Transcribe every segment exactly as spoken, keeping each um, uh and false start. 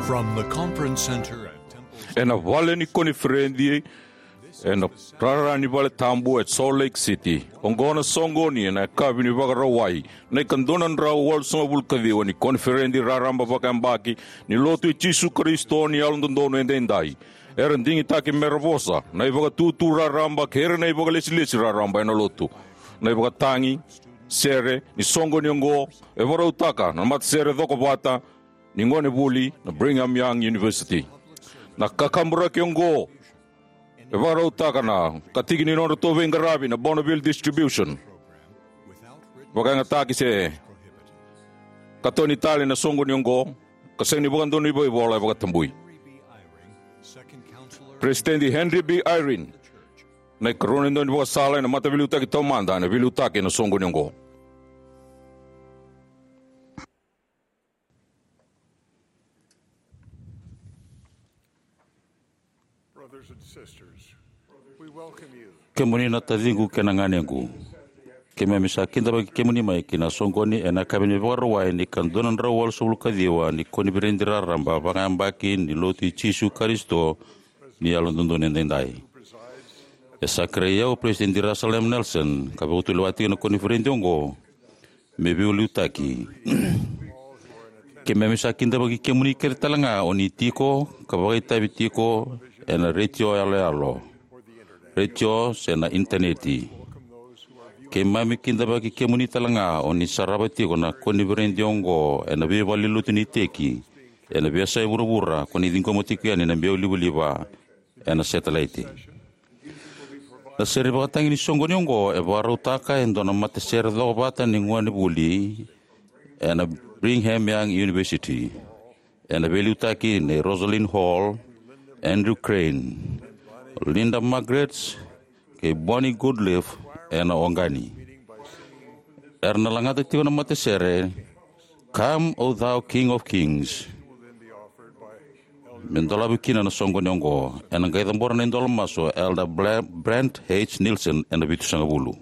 From the conference center at Temple Ena vale ni koniferedi ena rara ni vale tabu e Salt Lake City. Oqo na soqoni ena yakavi ni Vakarauwai, na ikadua na drau walusagavulu ka ciwa ni koniferedi raraba vakayabaki ni Lotu i Jisu Karisito ni Yalododonu Edaidai. Era digitaki mera vosa na ivakatutu raraba kei ira na ivakalesilesi raraba ena Lotu. Na ivakatagi sere ni soqoni oqo e vakarautaka na matasere cokovata ni gonevuli na Brigham Young University. Na kakaburaki oqo e vakarautaka na katiki ni nodratou veiqaravi na Bonneville Distribution. Vakayagataki se katoni tale na soqoni oqo, ka sega ni vakadonui vakaivola, e vakatabui. Peresitedi Henry B. Eyring, na ikarua ni daunivakasala ena Mataveiliutaki Taumada, ena veiliutaki ena soqoni oqo. Brothers and sisters, we welcome you. Kemuni na taciqu kei na ganequ, keimami sa kidavaki kemuni mai ki na soqoni ena yakavi ni Vakarauwai ni ikadua na drau walusagavulu ka ciwa ni koniferedi raraba vakayabaki ni Lotu i Jisu Karisito ni Yalododonu Edaidai. E sa kerei au o Peresitedi Russell M. Nelson, ka vakatulewa tiko na koniferedi oqo, me veiliutaki. Keimami sa kidavaki kemuni kece tale ga o ni tiko ka vakaitavi tiko ena retio yaloyalo, retio se na initaneti. Keimami kidavaki kemuni tale ga o ni sarava tiko na koniferedi oqo ena veivalenilotu ni iteki, ena veiyasai vuravura, ko ni ciqoma tiko yani na biau livaliva ena setelaiti. Na sere vakatagi ni soqoni oqo e vakarautaka e dua na matasere cokovata ni gonevuli ena Brigham Young University, ena veiliutaki nei Rosalind Hall, Andrew Crane, Linda Margarets, kei Bonnie Goodliffe ena oqani. Era na lagata tiko na matasere, "Come, O thou King of Kings." Me dolavi kina na soqoni oqo, ena qai cabora na idola masu o Elder Bla-, Brent H. Nielsen ena vitusagavulu.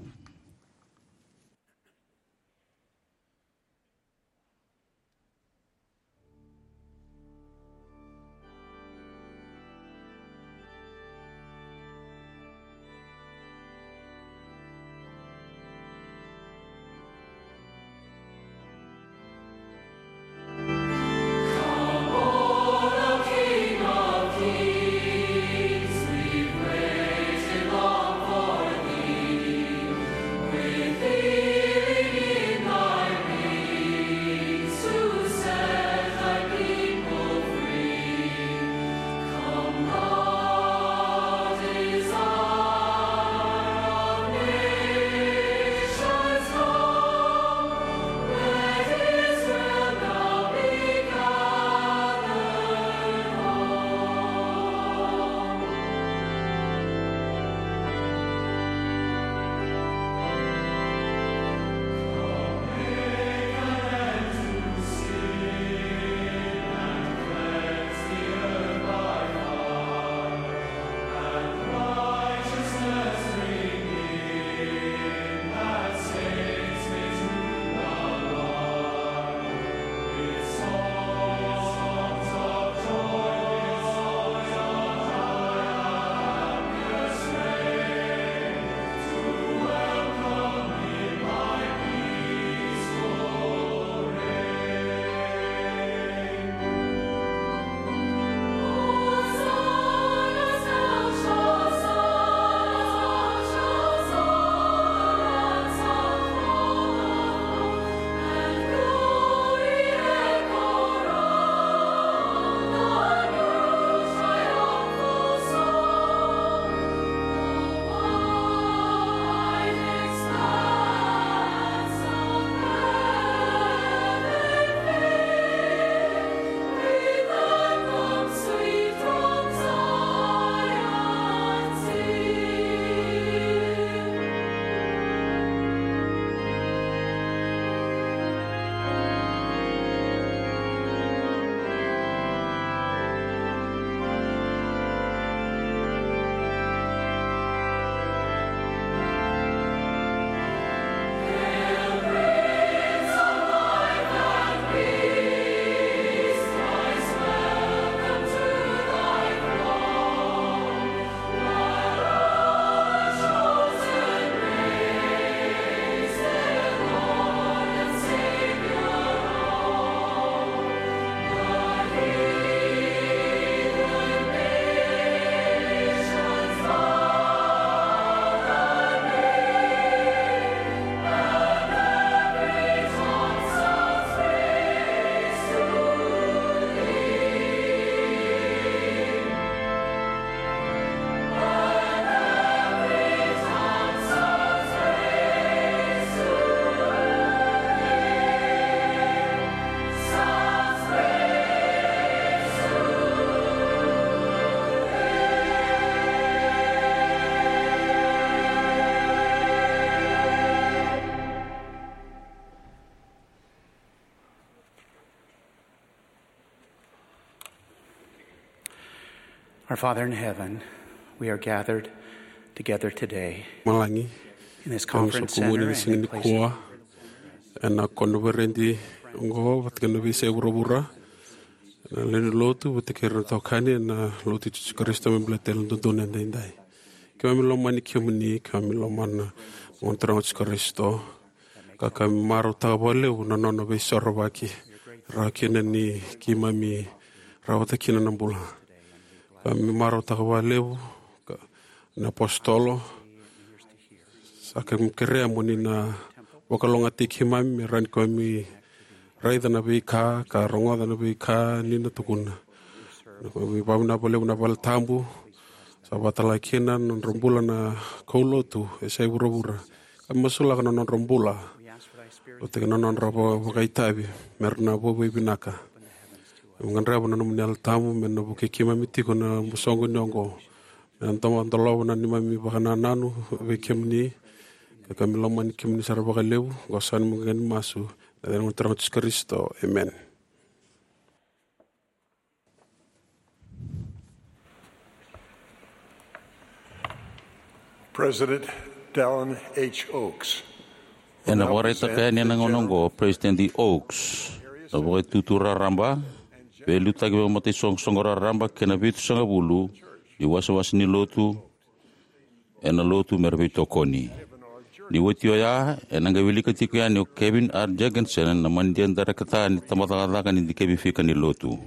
Our Father in heaven, we are gathered together today Malagi, in this conference center and in places nikua, ena koniferedi oqo vata kei na veiyasai vuravura, ena lewe ni lotu vata kei ira na itokani ena Lotu i Jisu Karisito me baleti Yalododonu Edaidai. Keimami lomani kemuni, keimami lomana na Gone Turaga o Jisu Karisito, ka keimami marautaka vakalevu na nona veisorovaki, rawa kina ni keimami rawata kina na bula. Keimami marautaka vakalevu na apositolo. Sa keimami kerea mo ni na vakalougatataki keimami me rawa ni keimami raica na veika ka rogoca na veika ni na tukuna. Keimami vakavinavinaka vakalevu na vale tabu, sa vakatalega kina na nodra bula na kaulotu e yasai vuravura. Keimami masulaka na nodra bula vata kei na nodra vakaitavi me ra na vakavinavinaka. Keimami gadreva na nomuni Yalo Tabu me na vukei keimami tiko ena soqoni oqo, me na dolava na neimami vakanananu vei kemuni, ka keimami lomani kemuni sara vakalevu. Oqo saka na noqu masu ena yaca ni Gone Turaga o Jisu Karisito, emeni. President Dallin H. Oaks. Ena vakaraitaka yani ena gauna oqo o President Oaks na Vakaitutu Raraba, veiliutaki vakamataisoqosoqo raraba kei na Vitusagavulu ni iwasewase ni Lotu ena Lotu me ra veitokoni. Ni oti oya, ena qai wilika tiko yani o Kevin R. Jergensen, na manidia dairekita ni Tabacakacaka ni Dikevi Fika ni Lotu.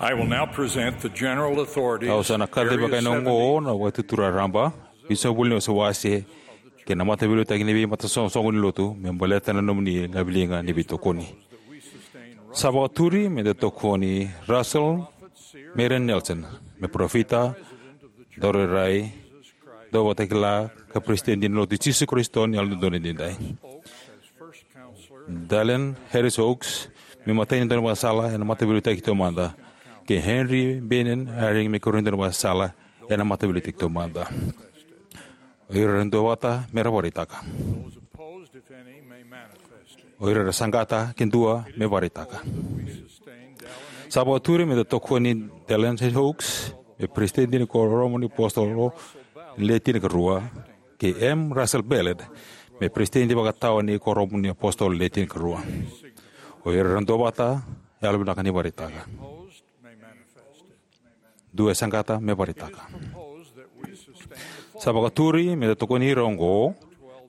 I will now present the general authorities, Au sa na kacivaka ena oqo na Vakaitutu Raraba, Vitusagavulu ni iwasewase kei na Mataveiliutaki ni Veimataisoqosoqo ni Lotu me baleta na nomuni laveliga ni veitokoni. Sa vakaturi me da tokoni Russell Marion Nelson me parofita, daurairai, dauvakatakila ka Peresitedi ni Lotu i Jisu Karisito ni Yalododonu Edaidai. Dallin Harris Oaks me imatai ni daunivakasala ena Mataveiliutaki Taumada, kei Henry Bennion Eyring me ikarua ni daunivakasala ena Mataveiliutaki Taumada. O ira era duavata me ra vakaraitaka. O ira era saqata ke dua me vakaraitaka. Sa vakaturi me da tokoni Dallin H. Oaks me Peresitedi ni Kuoramu ni iApositolo Le Tinikarua, kei M. Russell Ballard me Peresitedi Vakatawa ni Kuoramu ni iApositolo Le Tinikarua. O ira era duavata, yalovinaka ni vakaraitaka. Dua e saqata me vakaraitaka. Sa vakaturi me da tokoni ira oqo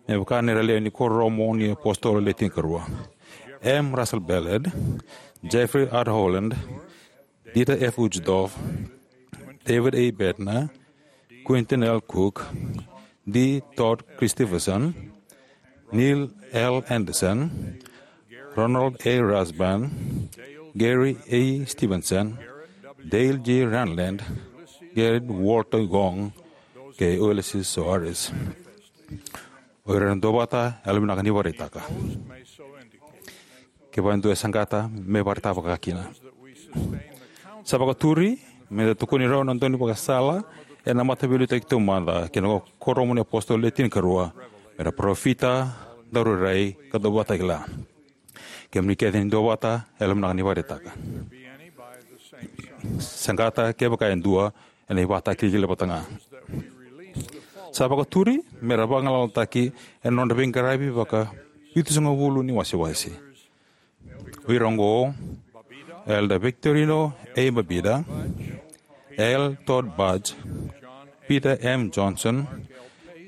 me vaka na lewe ni Kuoramu ni iApositolo Le Tinikarua: M. Russell Ballard, Jeffrey R. Holland, Dieter F. Uchtdorf, David A. Bednar, Quentin L. Cook, D. Todd Christofferson, Neil L. Andersen, Ronald A. Rasband, Gary A. Stevenson, Dale G. Renlund, Gerrit Walter Gong, kei Ulisses Soares. O ira era duavata, yalovinaka ni vakaraitaka. Kevaka e dua e saqata, me vakaraitaka vakakina. Sa vakaturi me da tokoni rau na daunivakasala ena Mataveiliutaki Taumada kei na Kuoramu ni iApositolo Le Tinikarua me ra parofita, daurairai ka dauvakatakila. Kemuni kece ni duavata, yalovinaka ni vakaraitaka. Saqata kevaka e dua ena ivakatakilakila vata ga. Sa vakaturi me ra vagalalataki ena nodra veiqaravi vaka vitusagavulu ni wasewase. O ira oqo: Elder Victorino A. Babida, L. Todd Budge, Peter M. Johnson,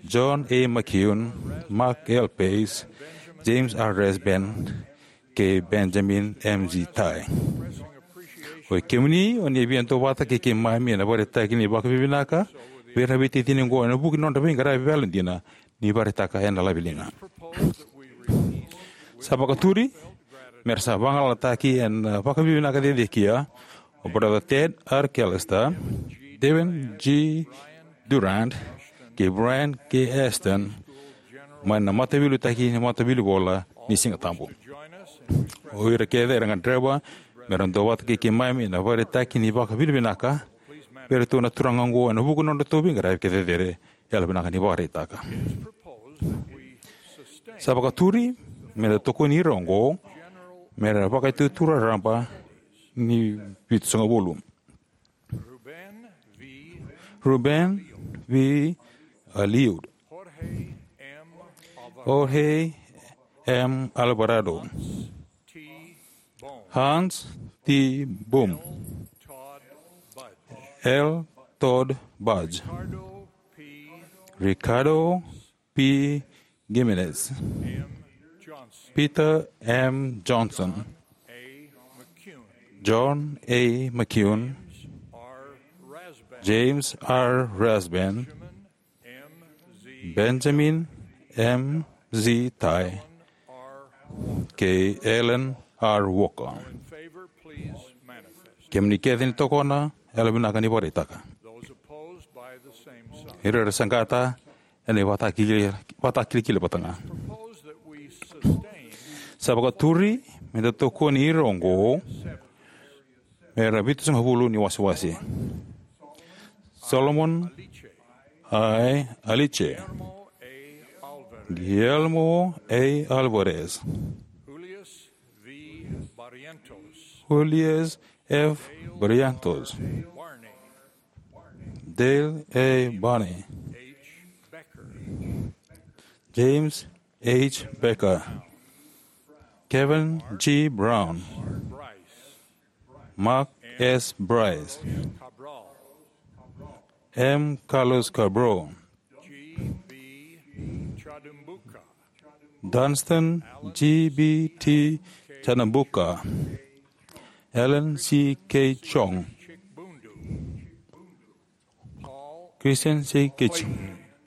John A. McKeon, Mark L. Pace, James R. Rasband, kei Benjamin M. G. Tai. O kemuni o ni via duavata kei keimami ena vakaraitaki ni vakavinavinaka vei ira na veitacini oqo ena vuku ni nodra veiqaravi vakayalodina ni vakaraitaka ena laveliga. Sa vakaturi me ra sa vagalalataki ena vakavinavinaka cecekia o Brother Ted R. Callister, Devin G. Durrant, kei Brian K. Ashton, mai na Mataveiliutaki ni Matavilivola ni Sigatabu. O ira kece era gadreva me ra duavata kei keimami ena vakaraitaki ni vakavinavinaka vei iratou na turaga oqo ena vuku ni nodratou veiqaravi kei cecere, yalovinaka ni vakaraitaka. Sa vakaturi me da tokoni ira oqo me ra vakaitutu raraba ni vitusagavulu: Ruben V Aliud, Jorge M Alvarado, Hans T Boom, L Todd Budge, Ricardo P Gimenez, Peter M Johnson, John A McCune, James R Rasband, Benjamin M Z Tai, kei Alan R Walker. Kemuni kece ni tokona, yalovinaka ni vakaraitaka. Ira era saqata, ena ivakatakilakila vata ga. Sa vakaturi me da tokoni ira oqo me ra vitusagavulu ni wasewase: Solomon I Aliche, Guillermo A Alvarez, Julius F Barrientos, Dale A Barney, James H Becker, Kevin G Brown, Mark S Bryce, M Carlos Cabral, Dunstan G B T Chanambuka, Alan C K Chong, Christian C K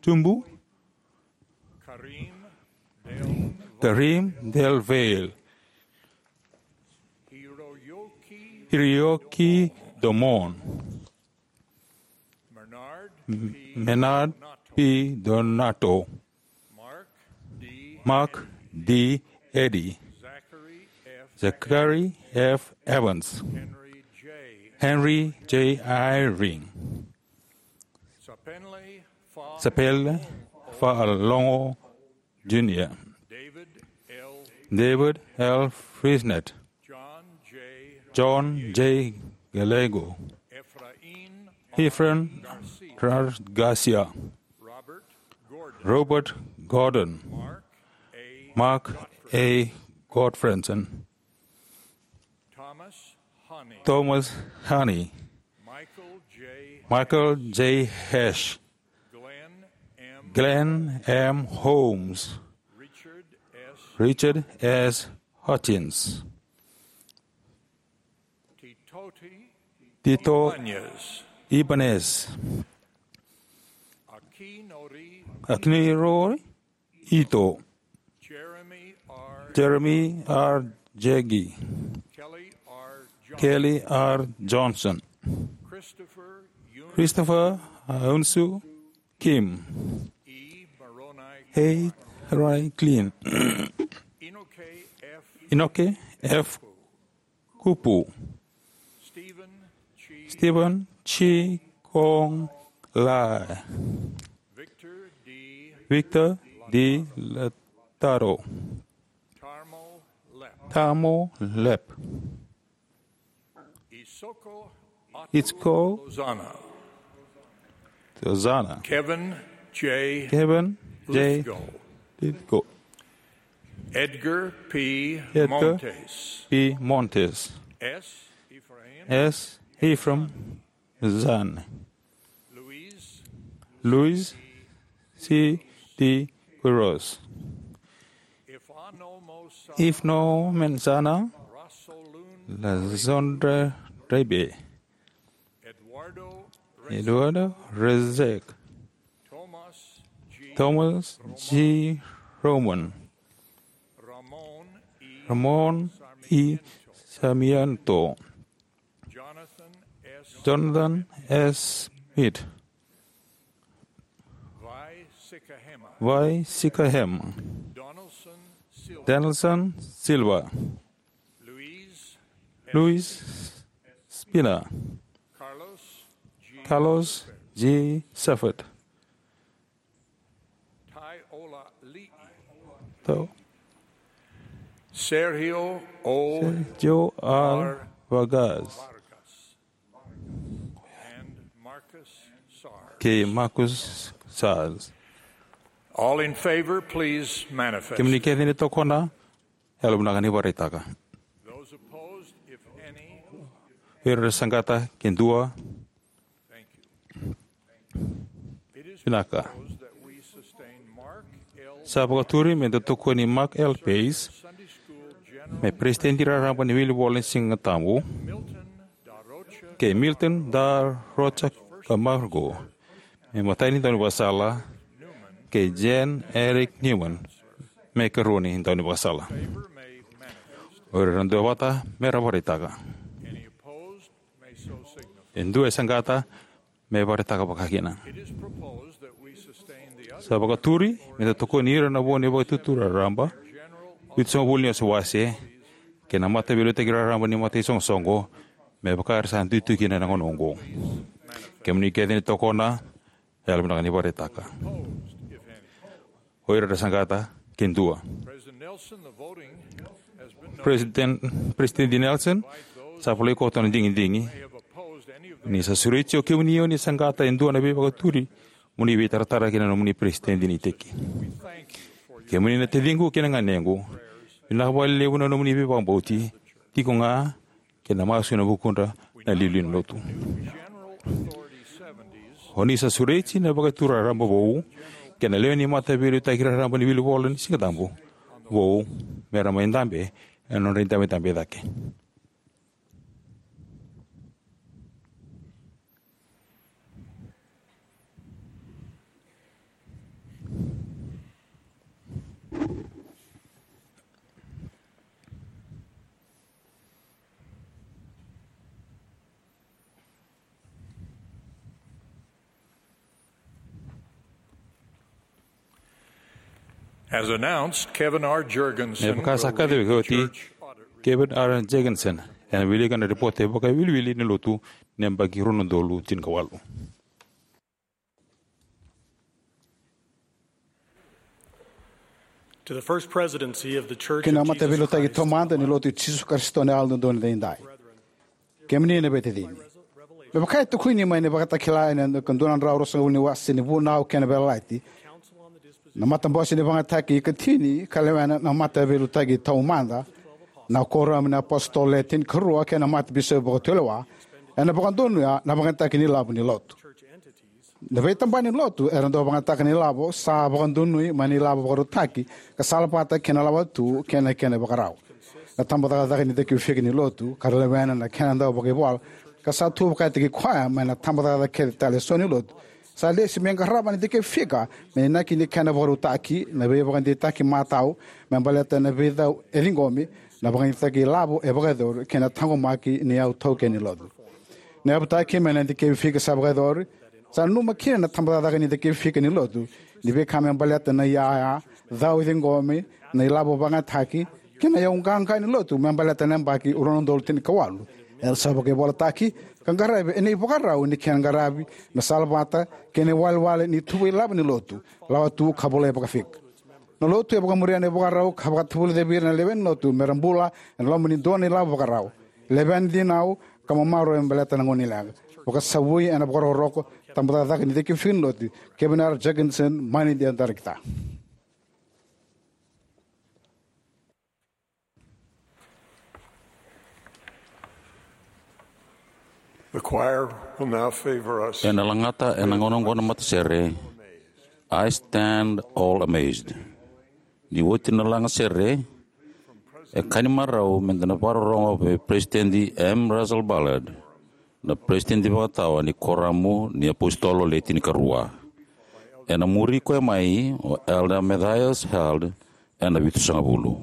Tumbu, Karim Del Vail, Hiroyuki Domon, Menard P Donato, Mark D Eddy, Zachary F Evans, Henry J Eyring, Sapele Faalongo Junior, David L Frisnet, John J Gallego, Efrain Garcia, Robert Gordon, Mark A Godfredson, Thomas Honey, Michael J Hesh, Glenn M Holmes, Richard S Hutchins, Tito Ibanez, Akinori Ito, Jeremy R Jaggi, Kelly R Johnson, Christopher Unsu Kim, H Ray Klein, Inoke F Kupu, Stephen Chi Kong Lai, Victor D Lataro, Tamo Lep, Itsuko Lozana, Kevin J Kevin J Lithgow, Lithgow, Edgar P Edgar Montes, P Montes, S Ephraim Zan, Luis C D Quiroz, Ifno Mensana, Lazondra Rebe, Eduardo Rezek, Thomas G Roman, Ramon E Sarmiento, Jonathan S Smith, Vai Sikahema, Donaldson Silva, Luis Spina, Carlos G Safford, Sergio O. Sergio R. Vargas. And Marcus Sars. Kei Marcus Sars. All in favor, please manifest. Kemuni kece ni tokona, yalovinaka ni vakaraitaka. Those opposed, if any. O ira era saqata, ke dua. Thank you. It is proposed that we sustain Mark L. Sa vakaturi me da tokoni Mark L. Pace me Peresitedi Raraba ni Wilivola ni Sigatabu, kei Milton Da Rocha Camargo me imatai ni daunivakasala, kei Jan Eric Newman me ikarua ni daunivakasala. O ira era duavata me ra vakaraitaka. E dua e saqata me vakaraitaka vakakina. Sa vakaturi me da tokoni ira na vo ni Vakaitutu Raraba, Vitusagavulu ni Wasewase, kei na Mataveiliutaki Raraba ni Mataisoqosoqo, me vaka era sa duidui kina ena gauna oqo. Kemuni kece ni tokona, yalovinaka ni vakaraitaka. O ira era saqata, ke dua. President Nelson, the voting has been noted. President, President Nelson, sa volai koto na digidigi. Ni sa sureti o kemuni o ni saqata e dua na veivakaturi, mo ni veitaratara kina na nomuni peresitedi ni iteki. Kemuni na taciqu kei na ganequ, vinaka vakalevu na nomuni veivakabauti, tiko ga kei na masu ena vukudra na iliuliu ni lotu. O ni sa sureti na Vakaitutu Raraba vou kei na lewe ni Mataveiliutaki Raraba ni Wilivola ni Sigatabu vou me ra mai dabe ena nodra idabedabe e cake. As announced, Kevin R. Jergensen. Me vaka sa kacivaki oti, Kevin R. Jergensen ena wilika na ripote vakawiliwili ni lotu ni yabaki rua na udolu tinikawalu. To the First Presidency of the Church of Jesus Christ of Latter-day Saints. Ki na Mataveiliutaki Taumada ni Lotu i Jisu Karisito ni Yalododonu Edaidai. Kemuni na veitacini. Me vaka e tukuni mai na Vakatakila ena dua na drau ruasagavulu ni wase ni Vunau kei na Veiyalayalati, na Matabose ni Vakayagataki ikatini ka lewena na Mataveiliutaki Taumada, na Kuoramu ni iApositolo Le Tinikarua kei na Matabisopi Vakatulewa, ena vakadonuya na vakayagataki ni ilavo ni lotu. Na veitabana ni lotu era dau vakayagataka na ilavo sa vakadonui mai na ilavo vakarautaki ka sala vata kei na lawatu kei na kena ivakarau. Na tabacakacaka ni cakivifika ni lotu ka ra lewena na kena dau vakaivola ka sa tu vakayagataki koya mai na tabacakacaka kece tale eso ni lotu, sa lesi me qarava na cakivifika me inaki ni kena vakarautaki na veivakadeitaki matau me baleta na veicau e ciqomi, na vakayagataki ilavo e vakayacori kei na taqomaki ni iyau taukeni ni lotu. Na yavutaki mai na cakivifika sa vakayacori, sa nanuma kina na tabacakacaka ni cakivifika ni lotu ni veika me baleta na iyaya, cau e ciqomi, na ilavo vakayagataki kei na iyau qaqa ni lotu me baleta na yabaki rua na udolu tinikawalu. Era sa vakaivolataki ka qaravi ena ivakarau ni kena qaravi me sala vata kei na iwalewale ni tuva ilavo ni lotu, lawatu ka volai vakafika. Na lotu e vakamuria na ivakarau ka vakatavulica vei ira na lewe ni lotu me ra bula ena loma ni dua na ilavo vakarau. Levea na dinau ka mamarua me baleta na gauna ni leqa. Vakasavui ena vakarokoroko, tabacakacaka ni cakivifika ni lotu, Kevin R. Jergensen, mai na Darakita. The choir will now favor us. Ena lagata ena gauna oqo na matasere, I Stand All Amazed. Ni oti na lagasere, e ka ni marau me da na vakarorogo vei Peresitedi M. Russell Ballard, na peresitedi vakatawa ni Kuoramu ni iApositolo Le Tinikarua. Ena muri koya mai o Elder Matthias Held ena vitusagavulu.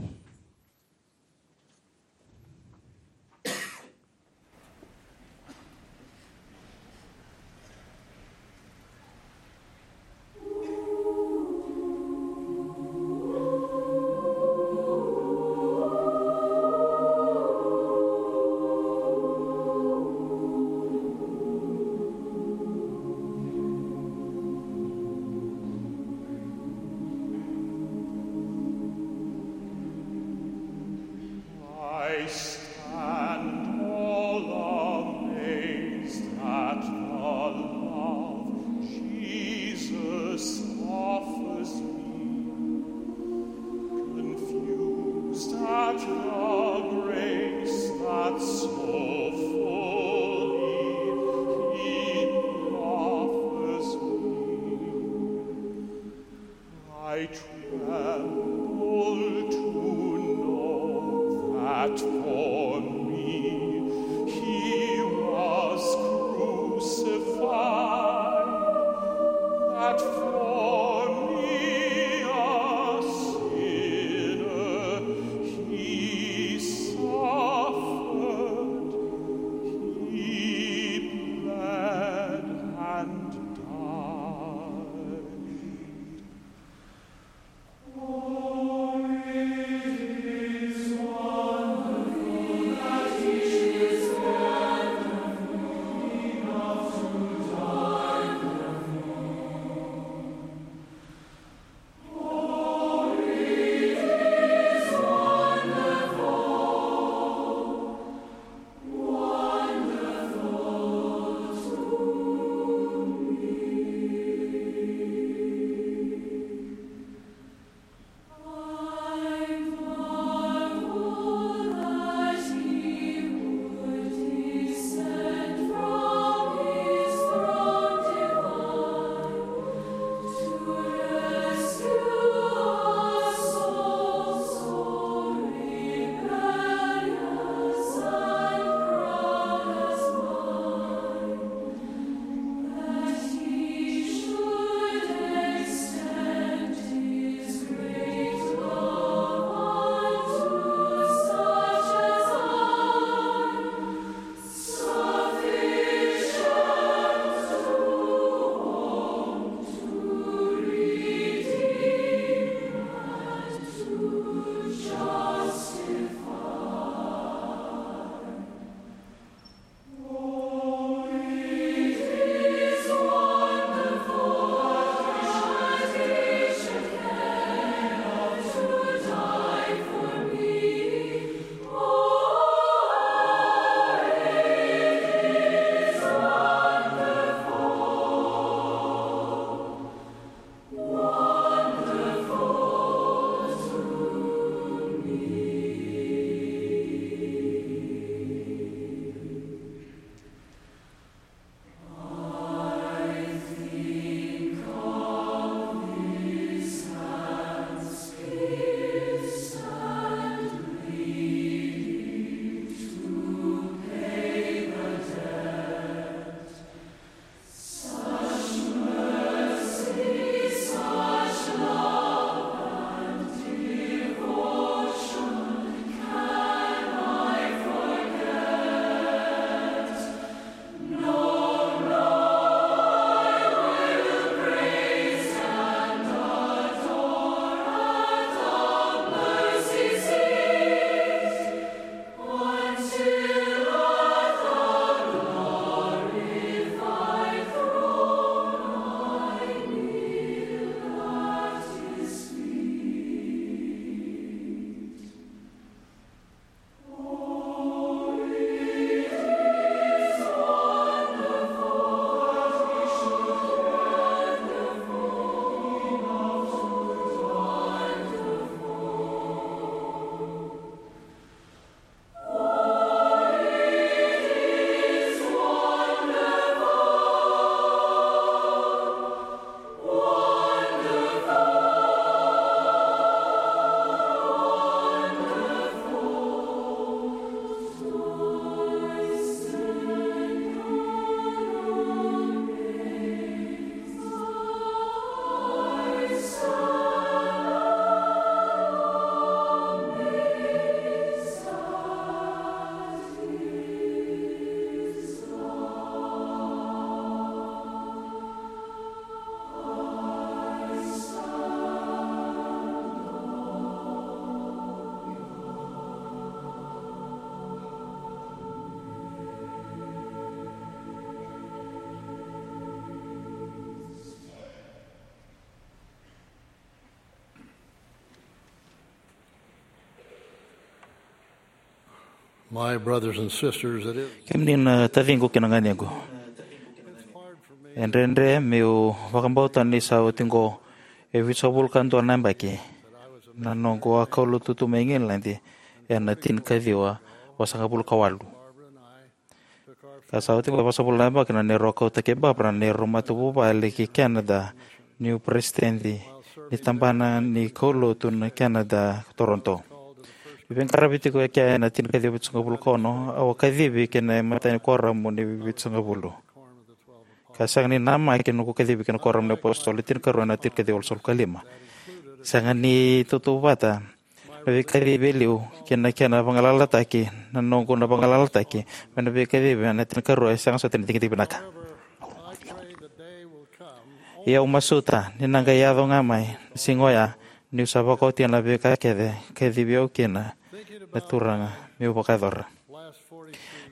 My brothers and sisters, it is Kemuni na taciqu kei na ganequ, e dredre meu vakabauta ni sa oti qo e vitusagavulu ka dua na yabaki na noqu a kaulotu tu mai Igiladi ena tinikaciwa vasagavulu ka walu. Ka sa oti qo e vasagavulu na yabaki na neirau a kauta kei Barbara na neirau matavuvale ki Canada niu peresitedi ni tabana ni kaulotu na Canada, Toronto. Niu veiqaravi tiko e kea ena tinikaciwa vitusagavulu ka ono, au a kacivi ki na imatai ni kuoramu ni vitusagavulu. Ka sega ni namaki noqu kacivi ki na kuoramu ni apositolo e tinikarua ena tinikaciwa walusagavulu ka lima. Sega ni tautauvata na veikacivi e liu kei na kena vagalalataki na noqu na vagalalataki mai na veikacivi ena tinikaciwa e sega soti ni digidigi vinaka. Ia au masuta ni na qai yaco ga mai na siga oya niu sa vakaotia na veika kece e kacivi au kina na Turaga meu vakayacora.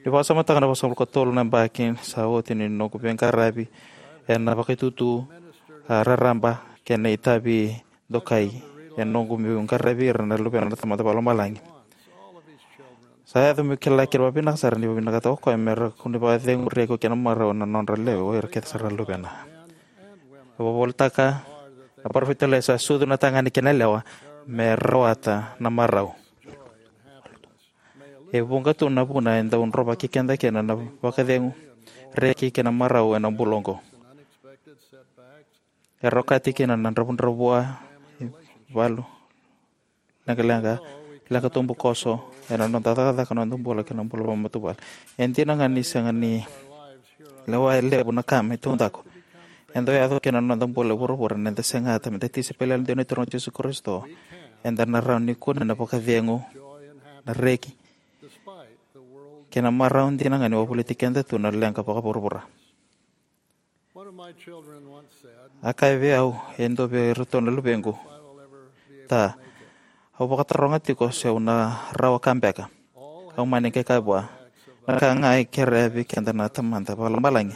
Niu vakasamataka na vasagavulu ka tolu na yabaki sa oti ni noqu veiqaravi ena vakaitutu, a, raraba kei na itavi dokai e noqu meu qaravi ira na luvena na Tamada Vakalomalagi. Sa yaco meu kila kina vakavinaka sara ni vakavinakataka o koya me ra kua ni vakaceguri iko kei na marau na nodra lewe o ira kece sara na luvena. E vakavolitaka na parofita Elaija, sa sucu na tagane kei na yalewa me rawata na marau. E vuqa tu na vuna e dau drovaki keda kina na vakacegu, reki kei na marau ena bula oqo. Era okati kina na dravudravua, valu, leqaleqa, leqa tubukoso ena noda cakacaka, noda bula kei na bula vakamatavuvale. E dina ga ni sega ni lewa e levu na ka me taudaku, e dau yaco kina na noda bula e vuravura ni da segata me da tisaipeli yalodina ni Turaga o Jisu Karisito, eda na rawa ni kune na vakacegu, na reki kei na marau dina ga ni wavoliti keda tu na leqa vakavuravura. One of my children once said, A kaya vei au e dua vei iratou na luvequ, "Ta, au vakataroga tiko se au na rawa ka beka." Au mani qai kaya vua, "Na ka ga e kerea vei keda na Tamada Vakalomalagi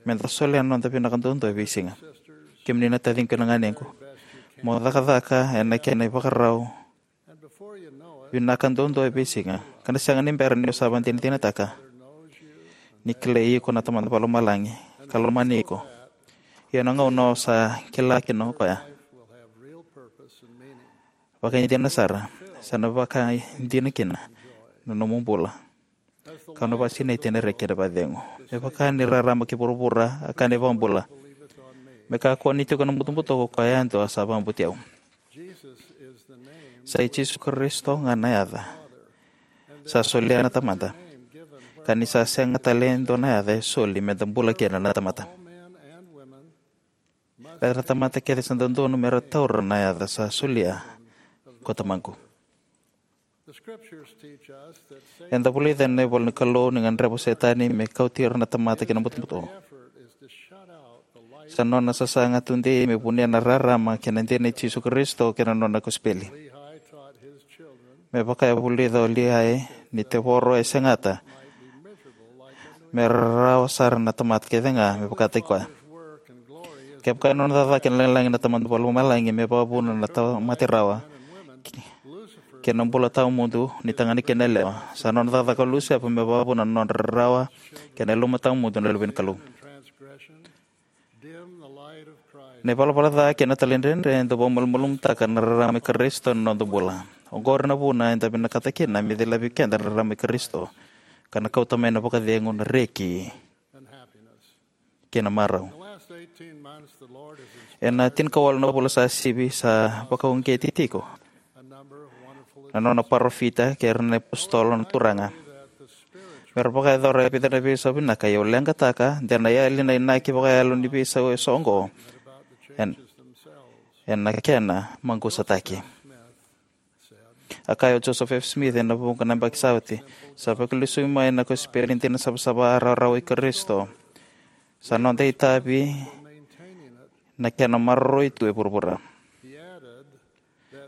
me da solia na noda vinaka duadua e veisiga." Kemuni na taciqu kei na ganequ, mo cakacaka ena kena ivakarau vinaka duadua e veisiga, ka na sega ni bera ni o sa vakadinadinataka ni kilai iko na Tamada Vakalomalagi ka lomani iko. Ia na gauna o sa kila kina o koya, vakaidina sara, sa na vakaidina kina na nomu bula, ka na vakasinaiti ena reki kei na vakacegu. Me vaka ni rarama ki vuravura a kaya na iVakabula, me kakua ni tiko na butobuto ko koya yadua sa vakabauti au. Sa i Jisu Karisito ga na yaca sa solia na Tamada, ka ni sa sega tale e dua na yaca e soli me da bula kina na tamata. Raica na tamata kece sa dodonu me ra taura na yaca sa solia ko Tamaqu. Eda vulica ena ivola ni Kalou ni gadreva o Setani me kauti ira na tamata ki na butobuto. Sa nona sasaga tudei me vunia na rarama kei na dina i Jisu Karisito kei na nona kosipeli. Me vaka e vulica o Liai, ni tevoro e segata me rarawa sara na tamata kece ga me vakataki koya. Kevaka e nona cakacaka kei na lagilagi na Tamada Vakalomalagi me vakavuna na tamata e rawa kei na bula tawamudu ni tagane kei na yalewa, sa nona cakacaka o Lusefa me vakavuna na nodra rarawa kei na yaluma tawamudu na luve ni Kalou. Na ivalavala ca kei na talaidredre e dau vakamalumalumutaka na rarama i Karisito ena noda bula. Oqori na vuna eda vinakata kina me cilavi keda na rarama i Karisito, ka na kauta mai na vakacegu, na reki kei na marau. Ena tinikawalu na vula sa sivi, sa vakauqeti tiko na nona parofita kei ira na iapositolo na Turaga me ra vakayacora e vica na veisau vinaka. Ia au leqataka de na yali na inaki vakayalo ni veisau eso oqo ena kena maqusataki. A kaya o Joseph F. Smith ena vuqa na yabaki sa oti, "Sa vakalesui mai na kosipeli dina savasava, rawarawa i Karisito. Sa noda itavi na kena maroroi tu e vuravura."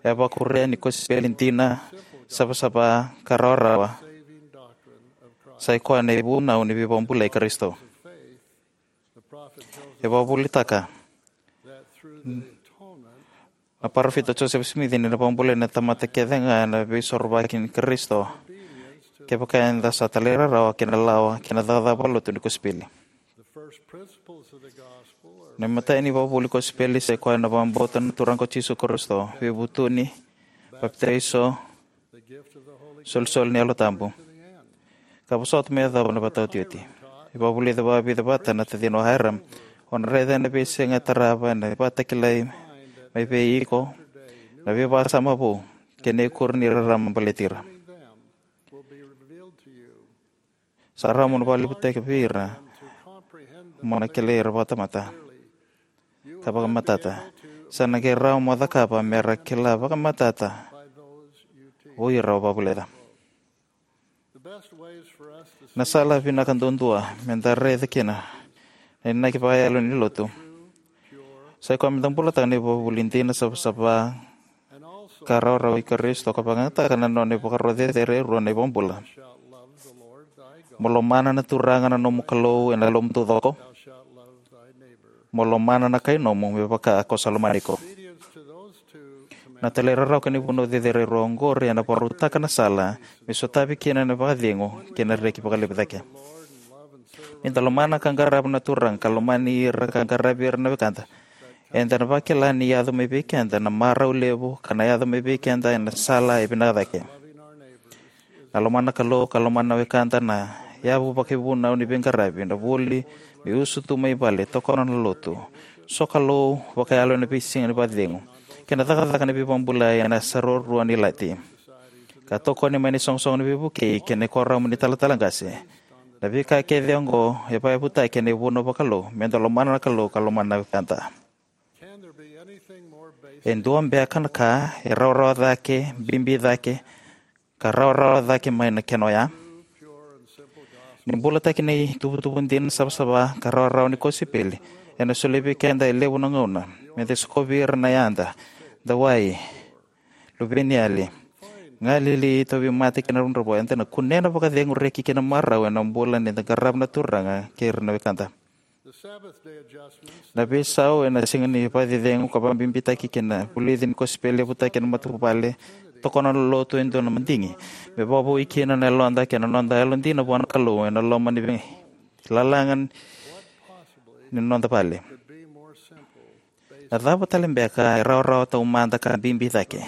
E vakuria ni kosipeli dina savasava ka rawarawa sa i koya na ivunau ni veivakabulai i Karisito. E vakavuvulitaka na parofita Joseph Smith ni na vakabulai na tamata kece ga ena veisorovaki ni Karisito kevaka eda sa talairawarawa ki na lawa kei na cakacaka vakalotu ni kosipeli. Na imatai ni ivakavuvuli ni kosipeli sa ikoya na vakabauta na Turaga o Jisu Karisito, veivutuni, papitaiso, solisoli ni Yalo Tabu, ka vosota me yacova na ivakataotioti. E vakavulica vakavica vata na tacina o Hyrum: O na raica ena veisiga e tarava na ivakatakilai mai vei iko na veivakasama vou kei na ikuri ni rarama baleti ira. Sa rawa mo na vakalevutaki vei ira mo na kilai ira vakamatata ka vakamatata. Sa na qai rawa mo cakava me ra kila vakamatata o ira o vakavulica. Na sala vinaka duadua me da raica kina na inaki vakayalo ni Lotu sa ikoya me da bulataka na ivakavuvuli dina, savasava, ka rawarawa i Karisito, ka vakayagataka na nona ivakaro cecere e rua na iVakabula: Mo lomana na Turaga na nomu Kalou ena yalomu taucoko, mo lomana na kainomu me vaka ko sa lomani iko. Na talairawarawa kei na ivunau cecere e rua oqori ena vakarautaka na sala me sotavi kina na vakacegu kei na reki vakalevu cake. Ni da lomana ka qarava na Turaga ka lomani ira ka qaravi ira na wekada, eda na vakila ni yaco mai vei keda na marau levu ka na yaco mai vei keda ena sala e vinaka cake. Na lomana na Kalou ka lomana na wekada na yavu vakaivunau ni veiqaravi, na vuli, me usutu mai vale, tokona na lotu, sokalou vakayalo ena veisiga ni vakacegu, kei na cakacaka ni veivakabulai ena yasa ruarua ni ilati, ka tokoni mai na isoqosoqo ni veivukei kei na kuoramu ni talatala qase. Na veika kece oqo e vakayavutaki ena ivunau vakalou me da lomana na Kalou ka lomana na wekada. E dua beka na ka e rawarawa cake, bibi cake, ka rawarawa cake mai na kena oya? Ni bulataki na ituvatuva dina, savasava, ka rawarawa ni kosipeli, ena solia vei keda e levu na gauna me da sokovi ira na yada, dawai, luveniyali, galili, tauvimate kei na dravudravua. Eda na kunea na vakacegu, reki kei na marau ena bula ni da qarava na Turaga kei ira na wekada. Na veisau ena siga ni vakacecegu ka vakabibitaki kina na vulici ni kosipeli, yavutaki ena matavuvale, tokona na lotu e dua na madigi me vakavoui kina na yaloda kei na noda yalodina vua na Kalou ena loma ni veilalaga ni noda vale. Na cava tale beka e rawarawa taumada ka bibi cake?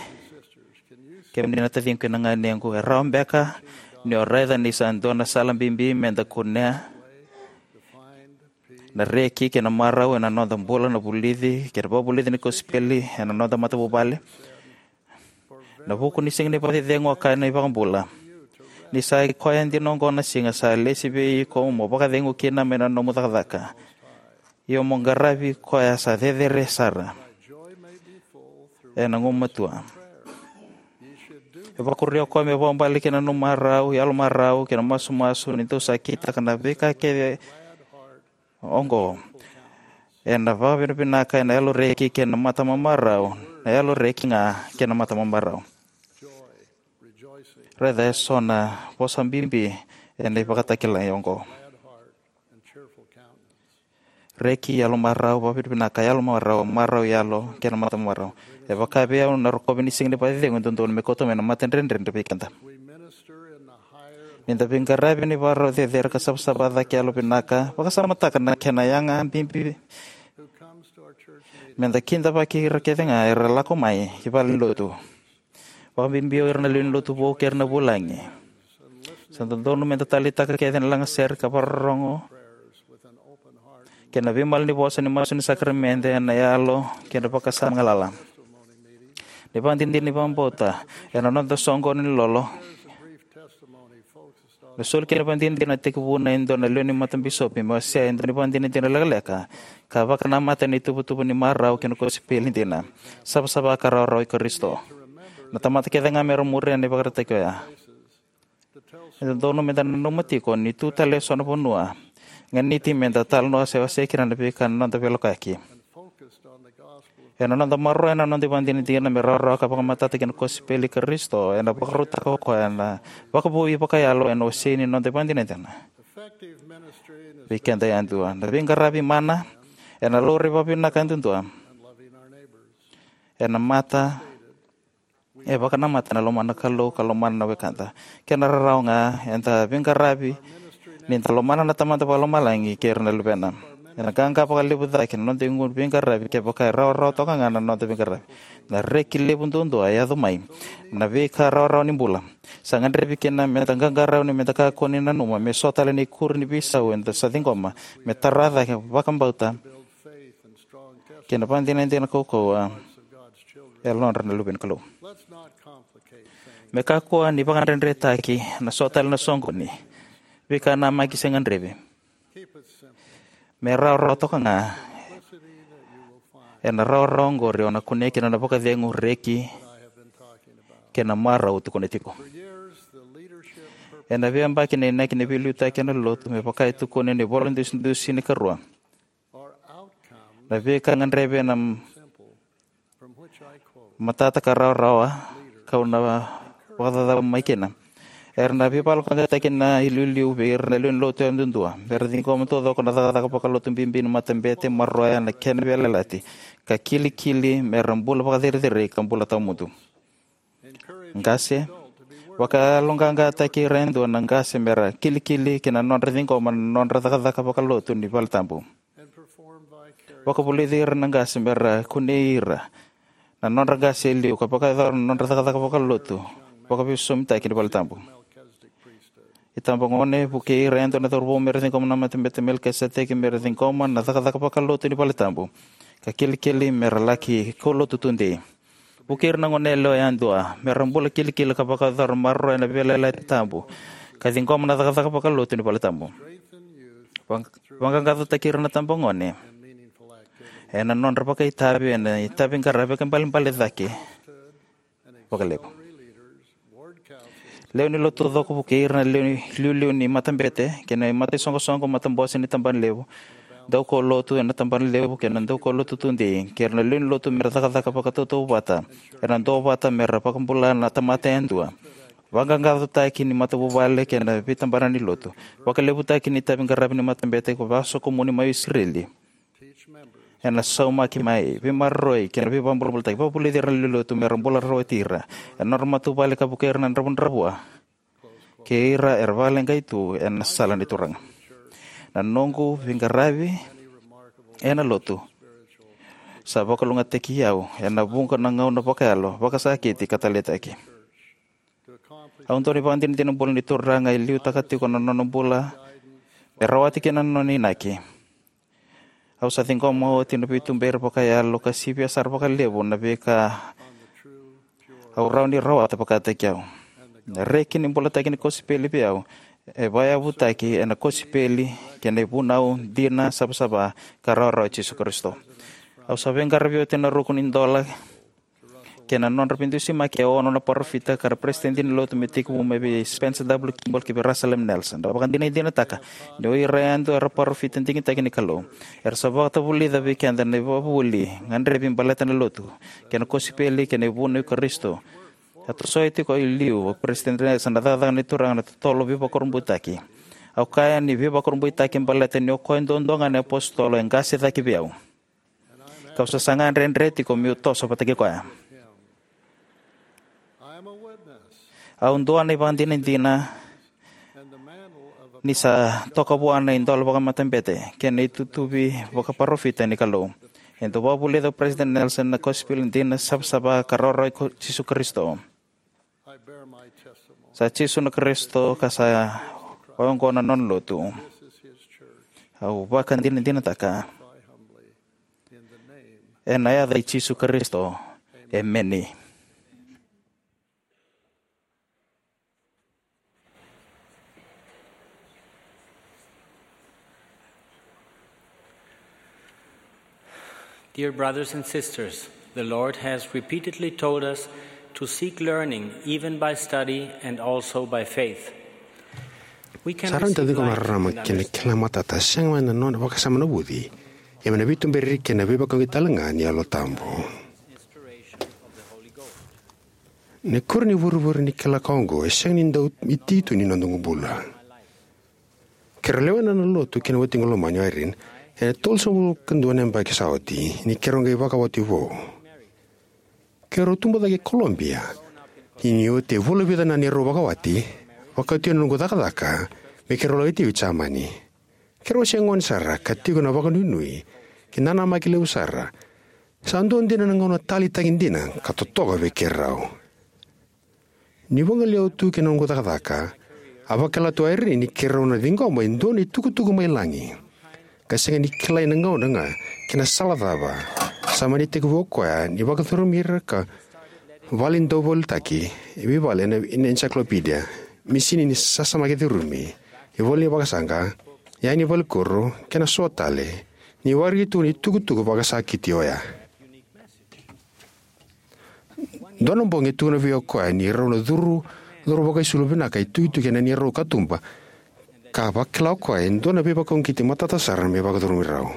Kemuni na taciqu kei na ganequ, e rawa beka ni o raica ni sa dua na sala bibi me da kunea na reki kei na marau ena noda bula, na vulici kei na vakavulici ni kosipeli ena noda matavuvale? Na vuku ni siga ni vakacecegu, a kaya na iVakabula, ni sa ikoya dina oqo na siga sa lesi vei iko mo vakacegu kina mai na nomu cakacaka, io mo qaravi koya sa cecere sara ena gumatua. E vakuria o koya me vakabale kina na nomu marau, yalomarau kei na masumasu ni dou sa kitaka na veika kece oqo ena vakavinavinaka, ena yaloreki kei na matamamarau, na yaloreki ga kei na matamamarau. Raica eso na vosa bibi ena ivakatakilai oqo: reki, yalomarau, vakavinavinaka, yalomarau, marau yalo kei na matamamarau. E vaka vei au, na rokovi ni siga ni vakacecegu e dodonu me kauta mai na matadredredre vei keda. Ni da veiqaravi ena ivakarau cecere ka savasava cake yalovinaka, vakasamataka na kena yaga bibi me da kidavaki ira kece ga era lako mai ki valenilotu, vakabibi o ira na lewe ni Lotu vou kei ira na vulagi. Sa dodonu me da taleitaka kece na lagasere ka vakarorogo kei na veimalanivosa ni masu ni sakaramede ena yalo kei na vakasama galala. Na ivakadinadina ni vakabauta ena noda soqoni ni lolo. Na soli kei na ivakadinadina na tekivuna e dua na lewe ni matabisopi me wasea e dua na ivakadinadina lekaleka ka vakanamata ena ituvatuva ni marau kei na kosipeli dina, savasava, ka rawarawa i Karisito. Na tamata kece ga me ra muria na ivakaraitaki oya. E dodonu me da nanuma tiko ni tu tale eso na vanua ganiti me da talanoa se wasea kina na veika na noda veilakoyaki. Ena noda maroroya na noda ivakadinadina me rawarawa ka vakamatata ki na kosipeli i Karisito, ena vakarautaka o koya na vakavoui vakayalo ena wasei ni noda ivakadinadina vei keda yadua. Na veiqaravi mana ena laurai vakavinaka yadudua ena mata E vakanamata ena lomana na Kalou ka lomana na wekada. Kena rarawa ga, eda veiqaravi ni da lomana na Tamada Vakalomalagi kei ira na Luvena. Ena qaqa vakalevu cake na noda igu ni veiqaravi kevaka e rawarawa toka ga na noda veiqaravi. Na reki levu duadua e yaco mai na veika rawarawa ni bula. Sa gadrevi kina meda qaqarauni, meda kakua ni nanuma me so tale na ikuri ni veisau eda sa ciqoma me tara cake vakabauta kei na vakadinadina kaukauwa e yalodra na luve ni Kalou. Me kakua ni vakadredretaki na so tale na soqoni, veikanamaki se gadrevi. Me rawarawa toka ga. Ena rawarawa oqori o na kunea kina na vakacegu, reki kei na marau au tukuna tiko. Ena veiyabaki na inaki ni veiliutaki ena lotu, me vaka e tukuni ena ivola dusidusi ni karua, na veika gadrevi ena matata ka rawarawa kau na vakacacabo mai kina. Era na veivakayaloqaqataki na iliuliu vei ira na lewe ni lotu yadudua mera ciqoma taucoko na cakacaka vakalotu bibi ni matabete, maroroya na kena veiyalayalati, ka kilikili mera bula vakacerecerei ka bula tawamudu. Qase, vakayaloqaqataki ira yadua na qase mera kilikili ki na nodra ciqoma na nodra cakacaka vakalotu ni valetabu. Vakavulici ira na qase mera kunei ira na nodra qase e liu ka vakayacora na nodra cakacaka vakalotu vakaveisosomitaki ni valetabu. Itabagone, vukei ira yadua na cauravou mera ciqoma na matabete Melikiseteki, mera ciqoma na cakacaka vakalotu ni valetabu, ka kilikili mera laki kaulotu tudei. Vukei ira na goneyalewa yadua mera bula kilikili ka vakayacora maroroya na veiyalayalati tabu, ka ciqoma na cakacaka vakalotu ni valetabu. Vaq- vaqaqacotaki ira na tabagone ena nodra vakaitavi ena itavi qaravi ka balebale cake vakalevu. Lewe ni lotu taucoko, vukei ira na lewe ni liuliu ni matabete kei na mataisoqosoqo, matabose ni tabana levu, daukaulotu ena tabana levu kei na daukaulotu tudei, kei ira na lewe ni lotu mera cakacaka vakatautauvata ena duavata mera vakabula na tamata yadua, vaqaqacotaki ni matavuvale kei na veitabana ni lotu, vakalevutaki ni itavi qaravi ni matabete ka vakasokomuni mai Isireli. Ena saumaki mai veimaroroi kei na veivakabulabulataki, vakavulici ira na lewe ni lotu mera bula rawati ira ena nodra matavuvale ka vukei ira na dravudravua kei ira era vakaleqai tu ena sala ni Turaga. Na noqu veiqaravi ena lotu sa vakalougatataki au ena vuqa na gauna vakayalo, vakasakiti ka taleitaki. Au dau ni vakadinadina bula ni Turaga e liutaka tiko na nona bula me rawati kina na nona inaki. Au sa ciqoma oti na veituberi vakayalo ka sivia sara vakalevu na veika au rawa ni rawata vakataki au. Na reki ni bulataki ni kosipeli vei au e vakayavutaki ena kosipeli kei na ivunau dina, savasava ka rawarawa i Jisu Karisito. Au sa veiqaravi oti ena ruku ni dola kei na nodra veidusimaki e ono na parofita ka ra peresitedi ni lotu me tekivu mai vei Spencer W. Kimball ki vei Russell M. Nelson. Au vakadinadinataka ni o ira yadua era parofita digitaki ni Kalou. Era sa vakatavulica vei keda na ivakavuvuli gadrevi baleta na lotu kei na kosipeli kei na ivunau i Karisito. A tosoi tiko i liu o Peresitedi Nelson na cakacaka ni Turaga na totolo veivakurabuitaki. Au kaya ni veivakurabuitaki baleta ni o koya duadua ga na iapositolo e qase cake vei au. Kau sa saga dredre tiko meu toso vata kei koya. Au dua na ivakadinadina ni sa toka vua na idola vakamatabete kei na itutuvi vakaparofita ni Kalou. E dau vakavulica o Peresitedi Nelson na kosipeli dina, savasava ka rawarawa i Jisu Karisito. Sa Jisu na Karisito ka sa oqo na nona lotu. Au vakadinadinataka ena yaca i Jisu Karisito. Emeni. Dear brothers and sisters, the Lord has repeatedly told us to seek learning even by study and also by faith. We can Sa rawa ni da receive ciqoma na light rarama in kei na understanding. Kila matata sega mai na nona vakasama na vuci, ia mai na veituberi kei na veivakauqeti talega ni Yalo Tabu. Na ikuri ni vurevure ni kila ka oqo e sega ni dau iti tu ni noda bula. Keirau lewena na lotu kei na watiqu lomani o Irene ena tolusagavulu ka dua na yabaki sa oti ni keirau qai vakawati vou. Keirau tubu cake e Colombia Ia ni oti e vula vica na neirau vakawati, vakauti au na noqu cakacaka me keirau lako tiko i Jamani. Keirau se gone sara ka tiko na vakanuinui kei na namaki levu sara. Sa dua dina na gauna taleitaki dina ka totoka vei keirau. Ni vagolei au tu ki na noqu cakacaka, a vakila tu o Irene ni keirau na ciqoma e dua na itukutuku mai lagi, ka sega ni kilai na gauna ga kei na sala cava. Sa mani tekivu o koya ni vakacurumi ira ka vale ni dauveiliutaki, e veivale ena, ena encyclopedia, misini ni sasamaki curumi, ivola ni vakasaqa, iyaya ni valekuro, kei na so tale, ni waraki tu na itukutuku vakasakiti oya. Dua na bogi e tukuna vei au o koya ni rau na curu, curu vakaisulu vinaka e tukituki ena neirau katuba, ka vakila o koya e dua na veivakauqeti matata sara me vakacurumi rau.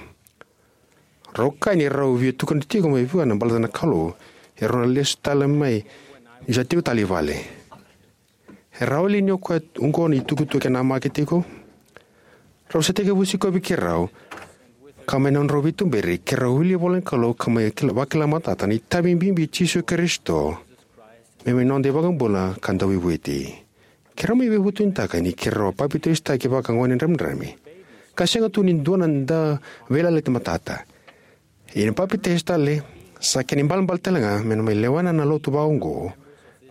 Rau kaya ni rau via tukuna tiko mai vua na baleta na Kalou, e rau na lesu tale mai ni sa tiko tale i vale. E rawa li ni o koya oqo na itukutuku e namaki tiko? Rau sa tekivu sikovi keirau, ka mai na nodrau veituberi keirau wili ivolanikalou ka mai kila, vakila matata na itavi bibi i Jisu Karisito me mai noda iVakabula ka Dauveivueti. Keirau mai veivutunitaka ni keirau a papitaisotaki vaka gone dramidrami, ka sega tu ni dua na da veiyalayalati matata. Ia ni papitaiso tale, sa kena ibalebale tale ga me na mai lewena na lotu vaka oqo,